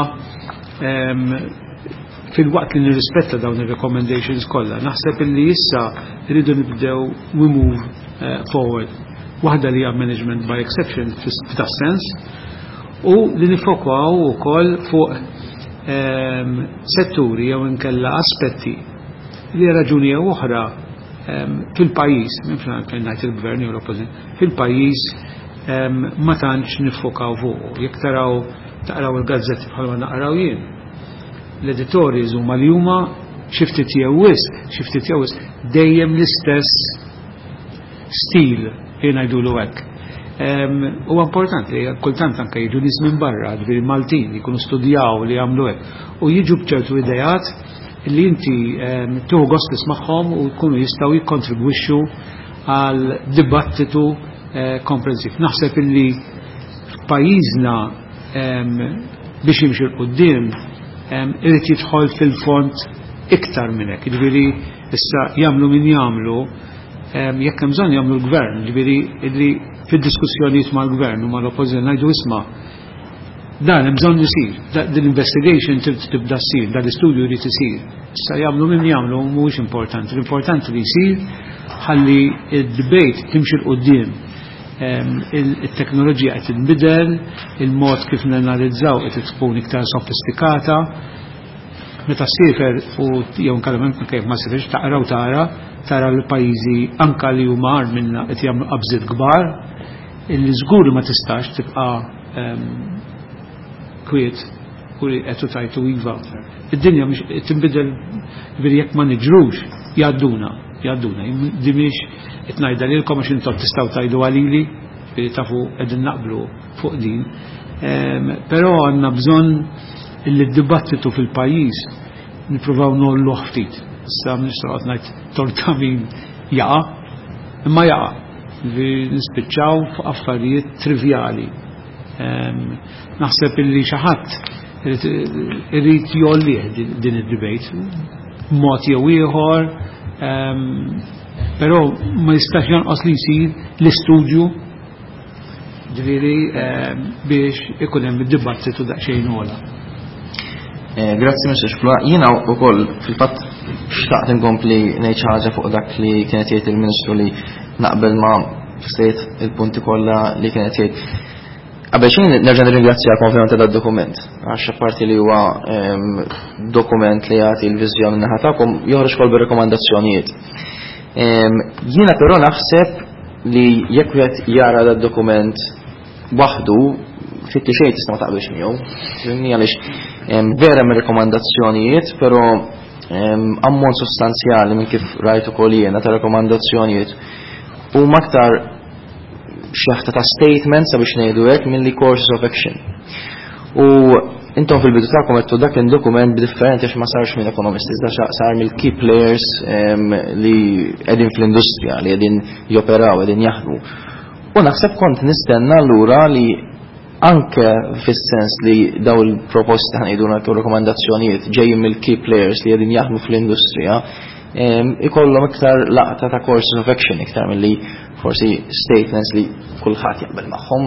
Speaker 6: fil-waqt li nirrispetta dawn ir-recommendations kollha, naħseb illi issa rridu nibdew we move forward. Waħda li hija management by exception f'da sens, u li nifokaw ukoll fuq setturi jew inkella aspetti li raġuni jew oħra fil-pajjiż, minn fejn ngħid il-gvern jew l-oppożizzjoni, fil-pajjiż ma tantx nifokaw fuq. Jekk taraw taqraw il-gazzetti bħalma naqraw jien, L-editorials huma li huma xi ftit jew wisq, xi ftit jew wisq, dejjem l-istess stil, jien ngħidulu hekk. Huwa importanti li kultant anke jiġu nies minn barra, ġifieri Maltin, jkunu studjaw li jagħmlu hekk u jiġu b'ċertu ideat li inti tieħu gost tismagħhom u jkunu jistgħu jikkontribwixxu għal dibattitu komprensiv. Naħseb illi f'pajjiżna biex jimxi 'l quddiem irid jidħol fil-fond iktar minn hekk. Ġifieri issa jagħmlu min jagħmlu, jekk hemm bżonn jagħmlu l-gvern, ġifieri illi fid-diskussjonijiet mal-gvern u mal-oppożizzjoni ngħidu isma' dan hemm bżonn isir, din investigation trid tibda ssir, dan l-istudju jrid isir. Issa jagħmlu min jagħmlu mhuwiex importanti, l-importanti li jsir ħalli d-debate timxi 'l quddiem. Il-teknoloġija qed tinbidel, il-mod kif nanalizzaw qed tkun iktar sofistikata. Meta ssiefer u jew nkellem kif ma ssieferx taqra u tara, tara l-pajjiżi anka li huma agħar minna qed jagħmlu qabżiet kbar, illi żgur ma tistax tibqa' kwiet u li qed tajtu iva. Id-dinja mhix tinbidel, ġifieri jekk ma niġrux jgħadduna, jgħadduna. Di mhix qed ngħidha lilkom għax intom tistgħu tgħidu għalili, ġifieri tafu qegħdin naqblu fuq din. Però għandna bżonn illi d-dibattitu fil-pajjiż nippruvaw ngħolluh ftit. Issa mhux noqgħod ngħid torta min jaqa', imma jaqa'. Nispiċċaw fuq affarijiet trivjali. Naħseb illi xi ħadd irid jgħollih din id-debate mod jew ieħor, però ma jistax jonqos li jsir l-istudju, ġifieri biex ikun hemm id-dibattitu daqsxejn ogħla.
Speaker 1: Grazzi, Mister Xplua. Jiena wkoll fil-fatt xtaqt inkompli ngħid xi ħaġa fuq dak li kienet jgħid il-Ministru, li naqbel ma' stejt il-punti kollha li kienet jgħid. Qabel xejn nerġa' nirringrazzjakom ovvjament ta' dokument, għax apparti li huwa dokument li jagħti l-viżjoni naħa tagħkom, joħroġ ukoll bir-rekomandazzjonijiet. Jiena però naħseb li jekk wieħed jara dad dokument waħdu, ftit li xejn tista' ma taqbilx miegħu. Fhimni, għaliex vera hemm rekomandazzjonijiet, però ammont sostanzjali minn kif rajt ukoll jiena ta' rekomandazzjonijiet huma aktar xeħta ta' statement, sabiex ngħidu hekk, milli courses of action. U intom fil-bidu tagħkom għedtu dak il-dokument differenti għax ma sarx minn ekonomisti, iżda sar mill-key players li qegħdin fl-industrija, li qegħdin joperaw, qegħdin jaħdmu. U naħseb kont nistenna allura li anke fis-sens li daw il-proposti, ħa ngħidu nagħtu rekomandazzjonijiet, ġejjin mill-key players li qegħdin jaħdmu fl-industrija, ikollhom iktar laqta ta' courses of action iktar milli forsi statements li kulħadd jaqbel magħhom,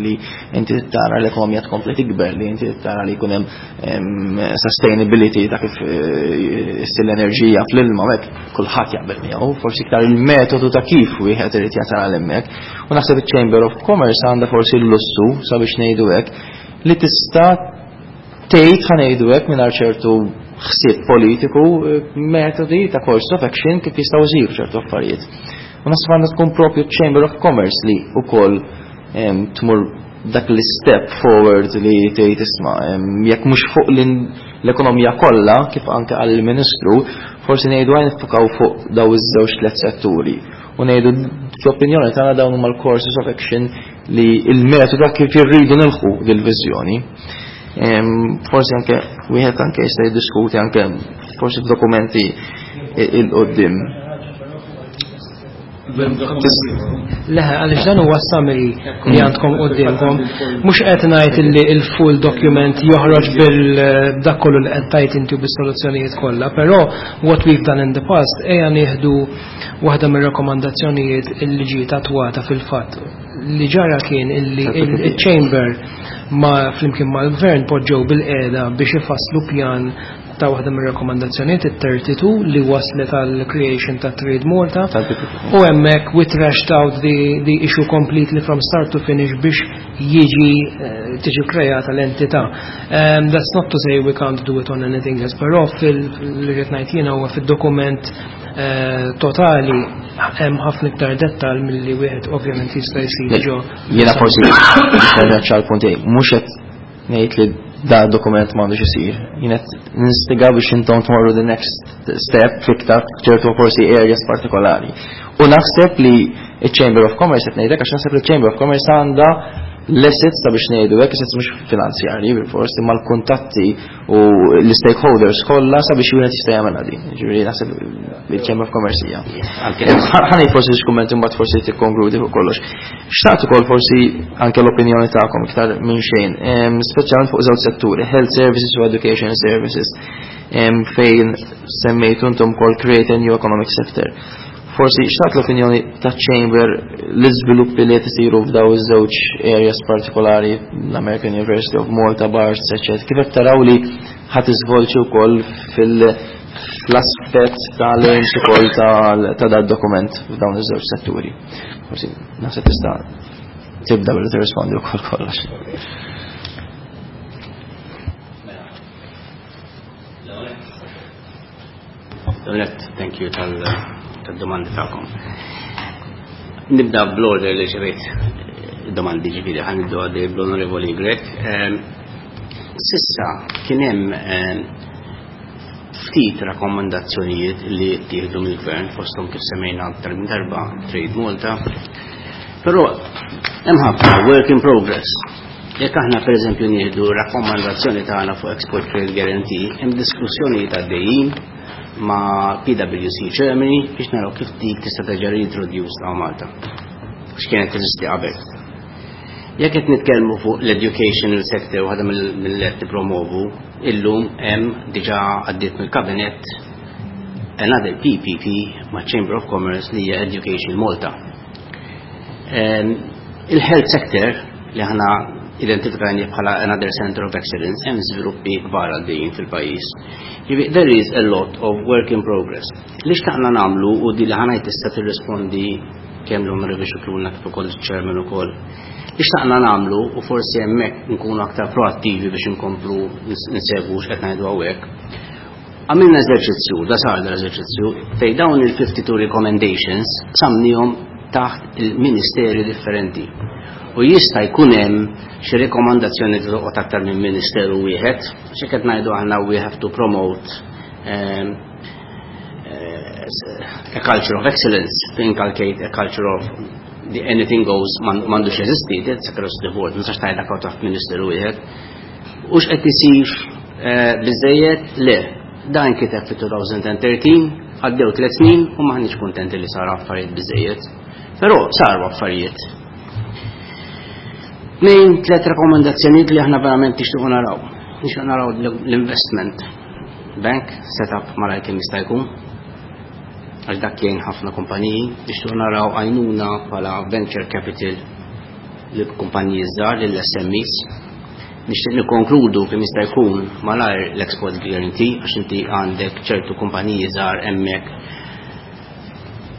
Speaker 1: li inti tara l-ekonomija tkompli tikber, li inti tara li jkun hemm sustainability ta' kif issir l-enerġija fl-ilma, hekk kulħadd jaqbel miegħu, forsi iktar il-metodu ta' kif wieħed irid jasal għal hemmhekk. U naħseb iċ-Chamber of Commerce għandha forsi l-lussu, sabiex ngħidu hekk, li tista' tgħid, ħa ngħidu hekk, mingħajr ċertu ħsieb politiku, metodi ta' course of action kif jistgħu jsiru ċertu affarijiet. U naħseb għandha tkun propju Chamber of Commerce li wkoll tmur dak l-step forward li tgħid isma' jekk mhux fuq l-ekonomija kollha, kif anke għall-Ministru, forsi ngħidu għajn niffukaw fuq daw iż-żewġ tliet setturi. U ngħidu fl-opinjoni tagħna dawn huma l-courses of action li il-metodu kif irridu nilħu dil-viżjoni. Forsi anke wieħed anke jista' jiddiskuti anke forsi f'dokumenti 'il quddiem.
Speaker 3: Leħe, għaliex dan huwa summary li għandkom quddiemkom. Mhux qed ngħid li il-full document joħroġ bil dak kollu li qed tajt inti bis-soluzzjonijiet kollha, però what we've done in the past, ejja nieħdu waħda mir-rakkomandazzjonijiet illi ġiet attwata fil-fatt. Li ġara kien illi il-Chamber ma flimkien mal-Gvern poġġew bil-qiegħda biex ifasslu pjan ta' waħda mir-rakkomandazzjonijiet, it-tlieta u tletin, li waslet għal creation ta' Trade Malta u hemmhekk we trashed out the, the issue completely from start to finish biex jiġi eh, tiġi kreata l-entità. Um, that's not to say we can't do it on anything else, però fil-li rrid ngħid jiena huwa fid-dokument eh, totali hemm ħafna iktar dettal milli wieħed ovvjament jista' jsir ġo.
Speaker 1: Jiena forsi nerġa' ċar punt, mhux qed ngħid li da dokument m'għandux isir. Jien qed ninstiga biex intom tmorru the next step fiktar ċertu forsi areas partikolari. U naħseb li il-Chamber of Commerce qed ngħidlek għax naħseb li il-Chamber of Commerce għandha l-assets ta' biex ngħidu hekk, assets mhux finanzjarji bil-fors, imma l-kuntatti u l-stakeholders kollha sabiex wieħed jista' jagħmel din. Ġifieri naħseb il-Chamber of Commerce hija. Ħa ngħid forsi xi kummenti, mbagħad forsi tikkonkludi fuq kollox. Xtaqt ukoll forsi anke l-opinjoni tagħkom iktar minn xejn, speċjalment fuq żewġ setturi, health services u education services, fejn semmejtu intom kol create a new economic sector. Forsi xtaqt l-opinjoni ta' Chamber, l-iżviluppi li qed isiru f'daw iż-żewġ areas partikolari, l-American University of Malta, Barts, eċċetera. Kif qed taraw li ħadd iżvolġi wkoll fil- fl-aspett tal-aims ukoll ta' dad dokument f'dawn iż-żewġ setturi? Forsi naħseb tista' tibda billi tirrispondi wkoll kollox.
Speaker 2: Thank you tal tad-domandi tagħkom. Nibda bl-order li ġibejt domandi, ġifieri ħa nibdu għaddej bl-Onorevoli Grech. S'issa kien hemm ftit rakkomandazzjonijiet li ttieħdu mill-gvern, fosthom kif semmejna aktar minn darba Trade Malta, però hemm ħafna work in progress. Jekk aħna pereżempju nieħdu rakkomandazzjoni tagħna fuq Export Trade Guarantee, hemm diskussjonijiet għaddejjin ma' P W C Germany biex naraw kif dik tista' terġa' reintroduce ta' Malta. X'kienet teżisti qabel. Jekk qed nitkellmu fuq l-educational sector, waħda mill-qed tippromovu, illum hemm diġà għaddiet mill-kabinett another P P P ma' Chamber of Commerce li hija Education Malta. Il-health sector li aħna identifikajni bħala another center of excellence, hemm żviluppi kbar għaddejjin fil-pajjiż. There is a lot of work in progress. Li xtaqna nagħmlu, u di li ħa ngħid tista' tirrispondi kemm l-Onorevoli Scicluna kif ukoll il-Chairman ukoll. Li xtaqna nagħmlu, u forsi hemmhekk nkunu aktar proattivi biex inkomplu nsegwu x'qed ngħidu hawnhekk. Għamilna eżerċizzju, da sar l-eżerċizzju, fej dawn il-fifty-two recommendations samnihom taħt il-ministeri differenti. U jista' jkun hemm xi rekomandazzjoni li toqgħod aktar minn ministeru wieħed, xi qed ngħidu aħna we have to promote um, a culture of excellence, to inculcate a culture of the anything goes m'għandux jeżisti, that's across the board, ma tistax tgħidha taħt ministeru wieħed. U x'qed isir biżejjed? Le. Dan kiteb fit-elfejn u tlettax, għaddew tliet snin u m'aħniex kuntenti li sar affarijiet biżejjed. Però saru affarijiet. Tnejn, tliet rekomendazzjonijiet li aħna verament nixtiequ naraw. Nixtiequ naraw l-investment bank set up malajr kemm jista' jkun. Għax dak jgħin ħafna kumpaniji, nixtiequ naraw għajnuna bħala venture capital li kumpaniji żgħar, lill-S M Es. Nixtieq nikkonkludu kemm jista' jkun malajr l-export guarantee, għax inti għandek ċertu kumpaniji żgħar hemmhekk,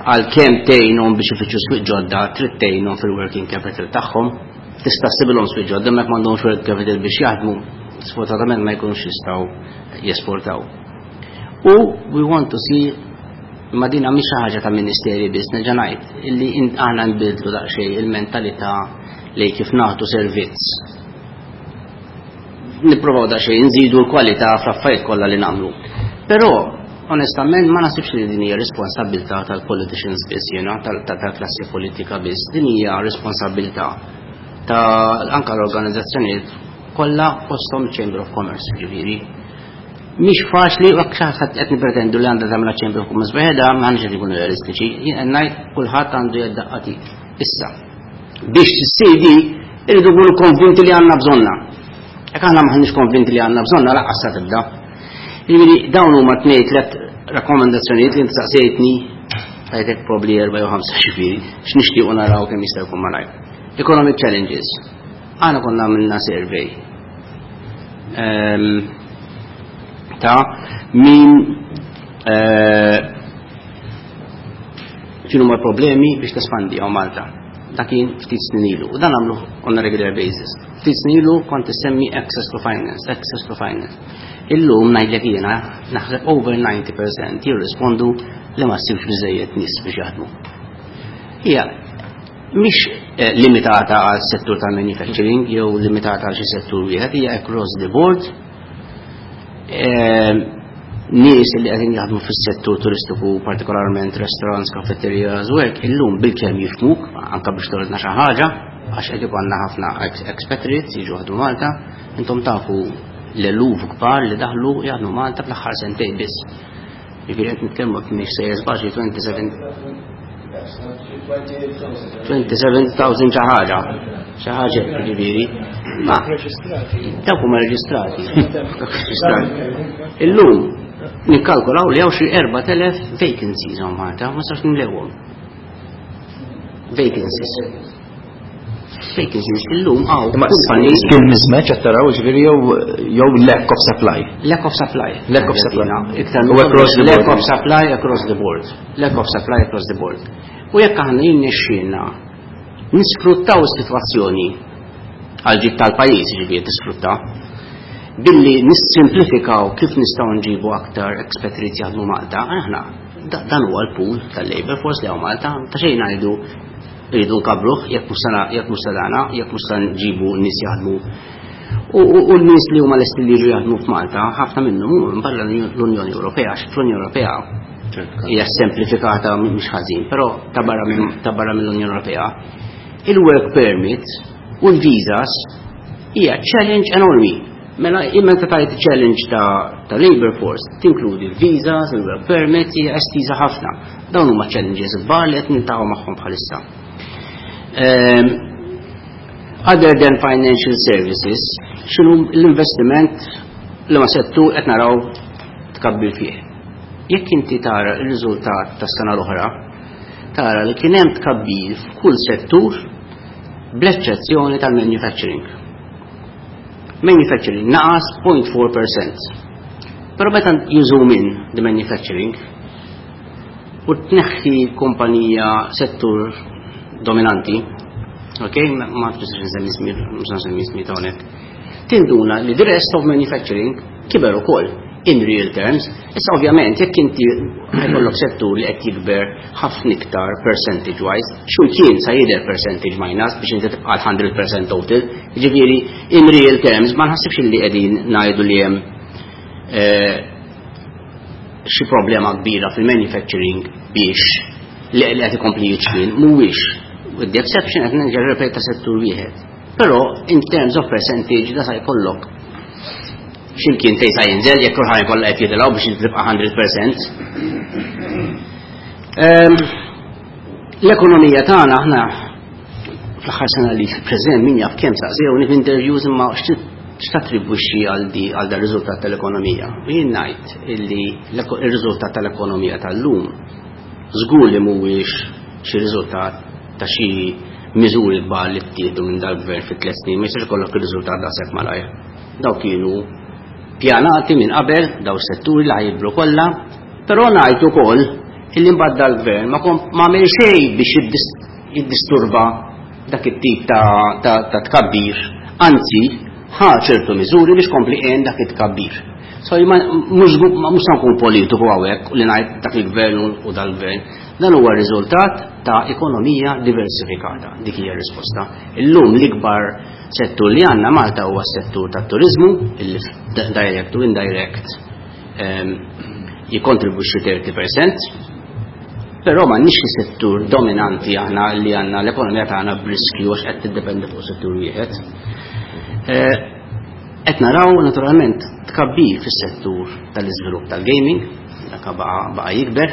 Speaker 2: għalkemm tgħinhom biex ifittxu swieq ġodda, trid tgħinhom fil-working capital tagħhom. Tista' ssibilhom swieq ġodda, hemmhekk m'għandhomx working capital biex jaħdmu, sfortunatament ma jkunux jistgħu jesportaw. U we want to see, ma dina mhix xi ħaġa ta' ministeri biss, nerġa' ngħid, illi aħna nbidlu daqsxejn il-mentalità li kif nagħtu servizz. Nipprovaw daqsxejn nżidu l-kwalità fl-affarijiet kollha li nagħmlu. Però onestament ma nasibx li din hija responsabilità tal-politicians biss, jiena tal-klassi politika biss, din hija responsabilità ta' anka l-organizzazzjonijiet kollha, fosthom Chamber of Commerce, ġifieri. Mhix faċli, u hekk qed nippretendu li għandha tagħmel Chamber of Commerce waħedha, m'għandx qed ikunu realistiċi. Jien ngħid kulħadd għandu jedd t'id. Issa, biex issir di irridu nkunu konvinti li għandna bżonna. Jekk aħna m'aħniex konvinti li għandna bżonna, lanqas sa tibda. Ġifieri dawn huma tnejn tliet rakkomandazzjonijiet li inti saqsejtni, tajtek probably erba' jew ħamsa, ġifieri x'nixtiequ naraw kemm jista' jkun malajr. Economic challenges. Aħna konna għamilna survey um, ta' min uh, x'inhuma problemi biex tespandi hawn Malta. Dak kien ftit snin ilu. U dan għamlu on a regular basis. Ftit snin ilu kont issemmi access to finance, access to finance. Illum ngħidlek jiena naħseb over ninety percent jirrispondu li ma ssibx biżejjed nies biex jaħdmu. Hija mhix limitata għal settur tal-manufacturing jew limitata għal xi settur wieħed, hija across the board. Nies li qegħdin jaħdmu fis-settur turistiku, partikolarment restaurants, cafeterias u hekk, illum bilkemm jifhmuk anke biex toridna xi ħaġa, għax qed ikollna ħafna expatriates jiġu jaħdmu Malta. Intom tafu l-eluf kbar li daħlu jaħdmu Malta fl-aħħar sentejn biss. Jiġifieri qed nitkellmu mhix sejjer żbaġi twenty-seven thousand xi ħaġa. Xi ħaġa jiġifieri. Ma dawk huma reġistrati. Illum nikkalkulaw li hawn xi erbat elef vacancies hawn Malta, ma sarx nimlewhom. Vacancies. Vacancies illum hawn.
Speaker 1: Imma skill mismatch qed taraw, ġifieri jew jew lack of supply.
Speaker 2: Lack of supply.
Speaker 1: Lack of supply.
Speaker 2: Iktar
Speaker 1: U across the
Speaker 2: lack
Speaker 1: board.
Speaker 2: of supply across the board. Lack of supply across the board. U jekk aħna jirnexxielna nisfruttaw is-sitwazzjoni għal ġid tal-pajjiż, ġifieri tisfrutta, billi nissimplifikaw kif nistgħu nġibu aktar expatriates jaħdmu Malta, aħna dan huwa l-pool tal-labor force li hawn Malta, ta' xejn ngħidu rridu nkabruh jekk mhux sana, jekk mhux sadana, jekk mhux sa nġibu nies jaħdmu. U, u, u n-nies li huma lesti li jiġu jaħdmu f'Malta, ħafna minnhom huma minn barra l-Unjoni Ewropea, għax fl-Unjoni Ewropea hija semplifikata mhux ħażin, però ta' barra minn, ta' barra mill-Unjoni Ewropea il-work permit u l-visas hija challenge enormi. Mela, imma ta' tajt challenge ta', ta' labor force tinkludi l-visas, il-work permit, hija estiża ħafna. Dawn huma challenges kbar li qed niltaqgħu magħhom bħalissa. Um, other than financial services, x'inhu l-investiment li ma settur qed naraw tkabbir fih? Jekk inti tara r-riżultat tas sena l-oħra, tara li kien hemm tkabbir f'kull settur bl-eċċezzjoni tal-manufacturing. Manufacturing naqas point four percent. Però meta you zoom in the manufacturing u tneħħi kumpanija settur dominanti, ok, ma nafx nsemmi ismi, mhux nsemmi ismi ta' hawnhekk, tinduna li the rest of manufacturing kiber ukoll in real terms. Issa ovvjament jekk inti ħajkollok settur li qed jikber ħafna iktar percentage wise, x'imkien sa jidher percentage minus biex inti tibqa' hundred percent total. Jiġifieri in real terms ma nħassibx li qegħdin ngħidu li hemm, eh, xi problema kbira fil-manufacturing biex li qed ikompli jiċkien, mhuwiex. With the exception qed nerġa' nirrepeta settur wieħed. Però in terms of percentage da sa jkollok x'imkien fejn sa jinżel jekk kulħadd jkollha qed jitilgħu biex tibqa' hundred percent. Ehm, l-ekonomija tagħna aħna fl-aħħar sena li preżent min jaf kemm saqsewni f'interviews imma x'tattribwixxi għal di għal dar riżultat tal-ekonomija. U jien ngħid illi l-eko-, ir-riżultat tal-ekonomija tal-lum żgur li mhuwiex xi riżultat ta' xi miżuri kbar li ttieħdu minn dal-gvern fi tliet snin, ma jistax ikollok ir-riżultat daqshekk malajr. Dawk kienu pjanati minn qabel, daw setturi li ħajibru kollha, però ngħid ukoll illi mbagħad dal-gvern ma kom-, ma għamel xejn biex jiddis-, jiddisturba dak it-tip ta', ta', ta' tkabbir, anzi ħa ċertu miżuri biex kompli għen dak it-tkabbir. So ma mhux mhux nkun politiku hawnhekk li ngħid dak il-gvern u dal-gvern, dan huwa riżultat ta' ekonomija diversifikata, dik hija r-risposta. Illum l-ikbar settur li għandna Malta huwa s-settur tat-turizmu, illi direct u indirect, ehm, jikontribwixxi thirty percent, però m'għandniex xi settur dominanti aħna li għandna l-ekonomija tagħna b'riskju għax qed tiddependi fuq settur wieħed. Eh, qed naraw naturalment tkabbir fis-settur tal-iżvilupp tal-gaming, dak baqa', baqa' jikber,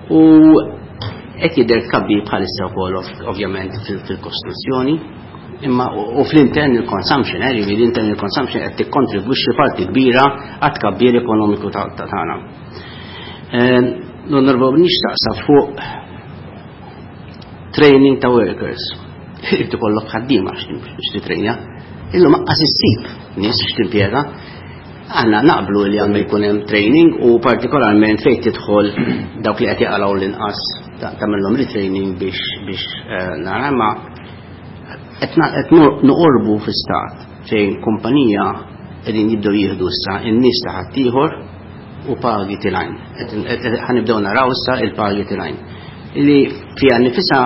Speaker 2: u qed jidher tkabbir bħalissa wkoll ov-, ovvjament fil-, fil-kostruzzjoni, imma u, u fl-internal consumption, eh, jiġifieri l-internal consumption qed tikkontribwixxi parti kbira għat tkabbir ekonomiku ta', ta' tagħna. Eh, L-onorevoli nixtaqsa fuq training ta' workers. Irid ikollok ħaddiema biex titrejnja. Illum aqqas issib nies biex timpjega. Aħna naqblu li għandu jkun hemm training u partikolarment fejn tidħol dawk li qed jaqalgħu l-inqas ta-, tagħmilhom retraining biex, biex, eh, nara, ma qed na-, qed nu-, noqorbu fi stat fejn kumpanija qegħdin jibdew jieħdu issa n-nies ta' ħaddieħor u pagi tilgħin. Qed, qed, ħanibdew naraw issa il-pagi tilgħin. Li fiha nifisha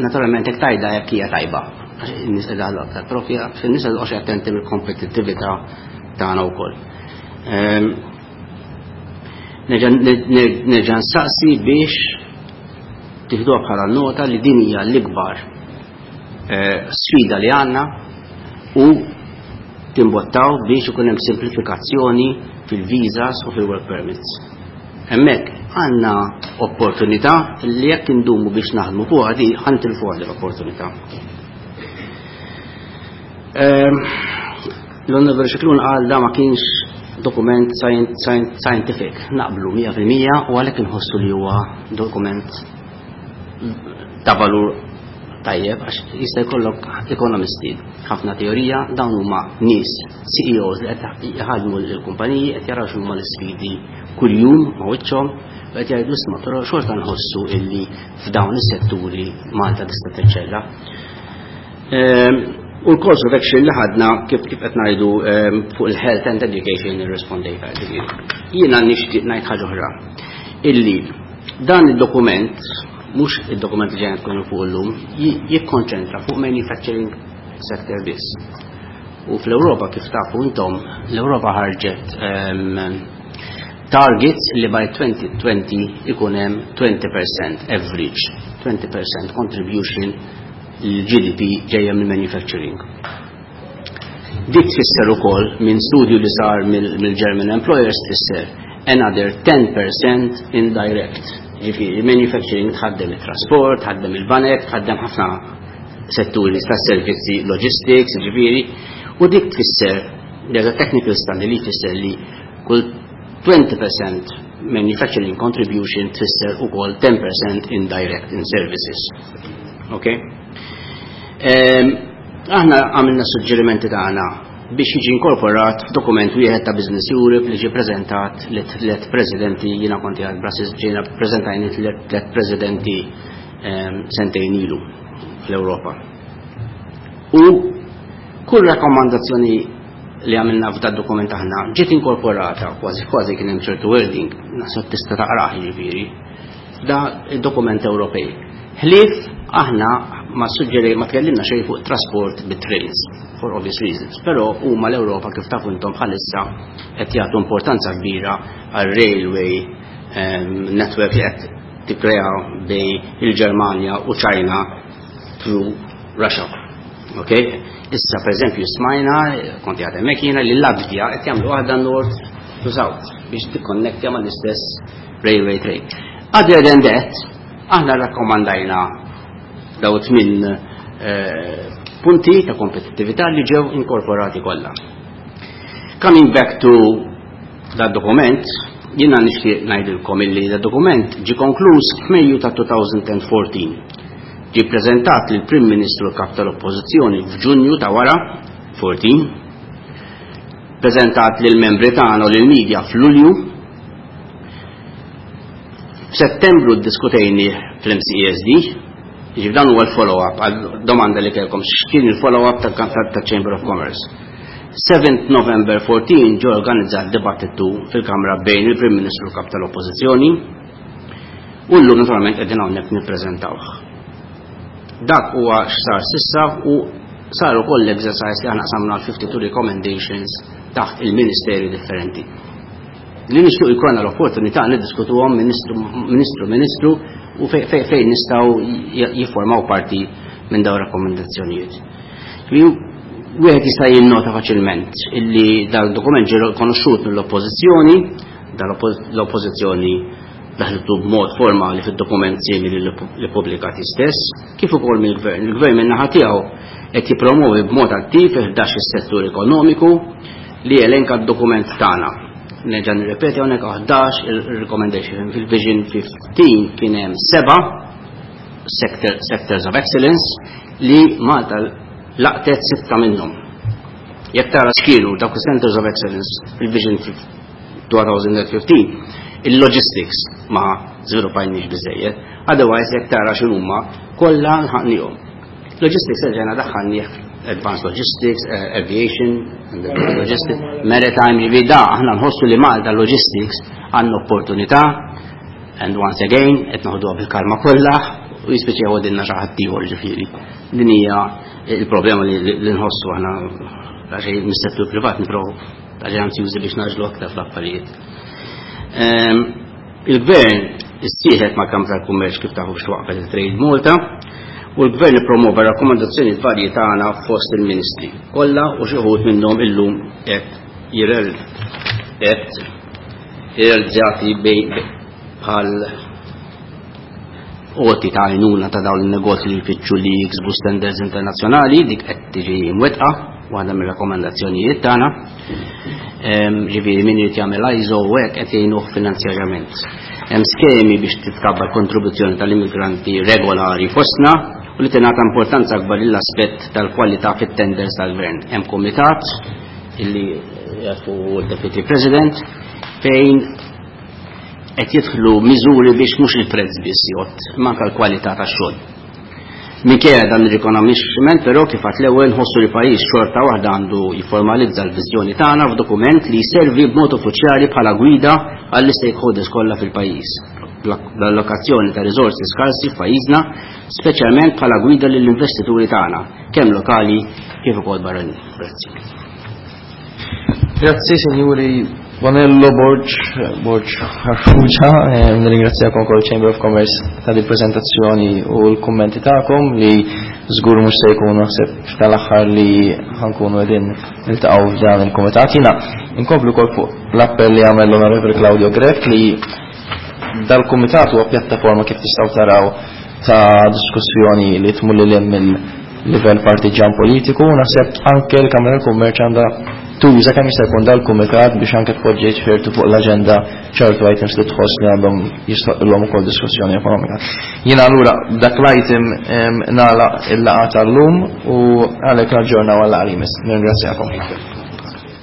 Speaker 2: Naturalment hekk tajda jekk hija tajba. Għax in-nies qed iħallu aktar profi, għax in-nies qed attenti mill-kompetittività tagħna wkoll. Ehm, nerġa' nsaqsi biex tieħduha bħala nota li din hija l-ikbar eh, sfida li għandna u timbottaw biex ikun hemm simplifikazzjoni fil-visas u fil-work permits. Hemmhekk għandna opportunità li jekk indumu biex naħdmu fuqha di ħa nitilfuha l-opportunità. Ehm, L-Onorevoli Scicluna qal da ma kienx dokument scientific, naqblu mija fil-mija u għalhekk inħossu li huwa dokument ta' valur tajjeb, għax jista' jkollok ekonomisti, ħafna teorija, dawn huma nies, C E Os li qed jħadmu l-kumpaniji, qed jaraw x'huma l-isfidi kuljum ma' wiċċhom u qed jgħidu: "Isma', però xorta nħossu illi f'dawn is-setturi Malta tista' teċċella." Ehm, u l-course of action li ħadna, kif kif qed ngħidu, ehm, fuq il-health and education irrispondejta. Jiena nixtieq ngħid ħaġa oħra. Illi dan id-dokument, mhux id-dokument li ġejna tkunu fuq illum, jikkonċentra fuq manufacturing sector biss. U fl-Ewropa, kif tafu intom, l-Ewropa ħarġet um, targets li by twenty twenty ikun hemm twenty percent average, twenty percent contribution l-G D P ġejja mill manufacturing. Dik tfisser ukoll, minn studju li sar mill-German Employers, tfisser another ten percent indirect. Ġifieri, manufacturing tħaddem il-trasport, tħaddem il-banek, tħaddem ħafna setturi ta' servizzi, logistics, ġifieri, u dik tfisser, there's a technical study li tfisser li kull twenty percent manufacturing contribution tfisser ukoll ten percent indirect in services. Okay? Um, aħna għamilna suġġerimenti tagħna biex jiġi inkorporat f'dokument wieħed ta' Business Europe li ġie preżentat li tliet presidenti, jiena konti għal Brussels, ġejna preżentajni tliet presidenti um, sentejn ilu fl-Ewropa. U kull rakkomandazzjoni li għamilna f'da dokument aħna ġiet inkorporata, kważi kważi kien hemm ċertu wording, naħseb tista' taqrah, jiġifieri. Da dokument Ewropej. Ħlief aħna ma suġġeri ma tkellimna xejn fuq trasport bit-trains for obvious reasons, però huma l-Ewropa, kif tafu intom, bħalissa qed jagħtu importanza kbira għal railway um, network li qed tikkrea bejn il-Ġermanja u China through Russia. Okay? Issa, per eżempju, smajna, konti għadha jiena, li Latvija qed jagħmlu waħda north to south biex tikkonnettja mal-istess railway train. Other than that, aħna rakkomandajna daw tmin eh, punti ta' kompetittività li ġew inkorporati kollha. Coming back to that dokument, jiena nixtieq ngħidilkom illi da dokument ġi konkluż f'Mejju ta' elfejn u erbatax. Ġi preżentat lill Prim Ministru, Kap tal-Oppożizzjoni, f'Ġunju ta' wara erbatax, preżentat lil membri tagħna u lil media f'Lulju. F'Settembru ddiskutejni fl-M C E S D, ġif dan huwa l-follow-up għal domanda li kellkom x'kien il-follow-up tal-Chamber of Commerce. seventh November fourteen ġo organizzat dibattitu fil-Kamra bejn il-Prim Ministru, Kap tal-Oppożizzjoni, u llum naturalment qegħdin hawnhekk nippreżentawh. Dak huwa x'sar s'issa u sar ukoll l-exercise li aħna qsamna l-fifty-two recommendations taħt il-ministeri differenti. Li nixtieq jkollna l-opportunità niddiskutuhom ministru ministru ministru u fejn nistgħu jiffurmaw parti minn dawn rakkomandazzjonijiet. Wieħed jista' jinnota faċilment illi dan dokument ġie rikonoxxut mill-oppożizzjoni, dan l-oppożizzjoni daħlitu b'mod formali fid-dokument simili li pubblikati stess, kif ukoll mill-gvern. Il-gvern minn naħa tiegħu qed jippromovi b'mod attiv ħdax is-settur ekonomiku li elenka d-dokument tagħna. Nerġa' nirrepeti hawnhekk, ħdax il-recommendation. Fil-Vision fifteen kien hemm seba' sector, sectors of excellence li Malta laqtet sitta minnhom. Jekk tara x'kienu dawk centers of excellence fil-Vision twenty fifteen, il-logistics ma żviluppajniex biżejjed, otherwise jekk tara x'inhuma kollha lħaqnihom. Logistics erġajna daħħalnieh, advanced logistics, uh, aviation, logistics, maritime, ġifieri da aħna nħossu li Malta logistics għandna opportunità, and once again, qed noħduha bil-kalma kollha. U jispiċċa jgħodilna xi ħadd ieħor ġifieri. Din hija il-problema li nħossu aħna għax mis-settur privat nipprovaw għax anzjużi biex naġlu aktar fl-affarijiet. Il-gvern issieħeb ma' Kamra tal-Kummerċ kif tafu biex waqfet il-Trade Malta u l-gvern ippromova rakkomandazzjoni varji tagħna fost il-ministri kollha u xi wħud minnhom illum qed jirel qed irrealizzati bħal għoti ta' għajnuna ta' dawn il-negozji li jfittxu li jiksbu standards internazzjonali, dik qed tiġi mwettqa, waħda mir-rakkomandazzjonijiet tagħna. Ġifieri min irid jagħmel I S O u hekk qed jgħinuh finanzjarjament. Hemm skemi biex titkabbar kontribuzzjoni tal-immigranti regolari fostna u li tingħata importanza akbar lill-aspett tal-kwalità fit-tenders tal-gvern. Hemm kumitat illi jafu l-Deputy President fejn qed jidħlu miżuri biex mhux il-prezz biss jgħodd, imma anke l-kwalità tax-xogħol. Minkejja dan ir-rikonoxximent però, kif għedt l-ewwel, nħossu li pajjiż xorta waħda għandu jiformalizza l-viżjoni tagħna f'dokument li jservi b'mod uffiċjali bħala gwida għall-stakeholders kollha fil-pajjiż. L-allokazzjoni ta' riżorsi skarsi f'pajjiżna, speċjalment bħala gwida lill-investituri tagħna, kemm lokali kif ukoll barranin. Grazzi.
Speaker 1: Grazzi, signori Bonello, Borg, Borg Farrugia, eh, nirringrazzjakom ukoll Chamber of Commerce ta' di prezentazzjoni u l-kummenti tagħkom li żgur mhux se jkunu naħseb tal-aħħar li ħa nkunu qegħdin niltaqgħu f'dan il-kumitat. Jiena inkomplu wkoll fuq l-appell li għamel l-Onorevoli Claudio Grech li dal-kumitat huwa pjattaforma, kif tistgħu taraw, ta' diskussjoni li tmur lil mill-livell partiġan politiku. Naħseb anke l-Kamra tal-Kummerċ għandha tuża kemm jista' jkun dal-kumitat biex anke tpoġġi ċertu fuq l-aġenda ċertu items li tħoss li għandhom jistħoqqilhom ukoll diskussjoni ekonomika. Jiena allura dak l-item nagħlaq il-laqgħa tal-lum u għalhekk naġġornaw għal-għalimis. Nirringrazzjakom.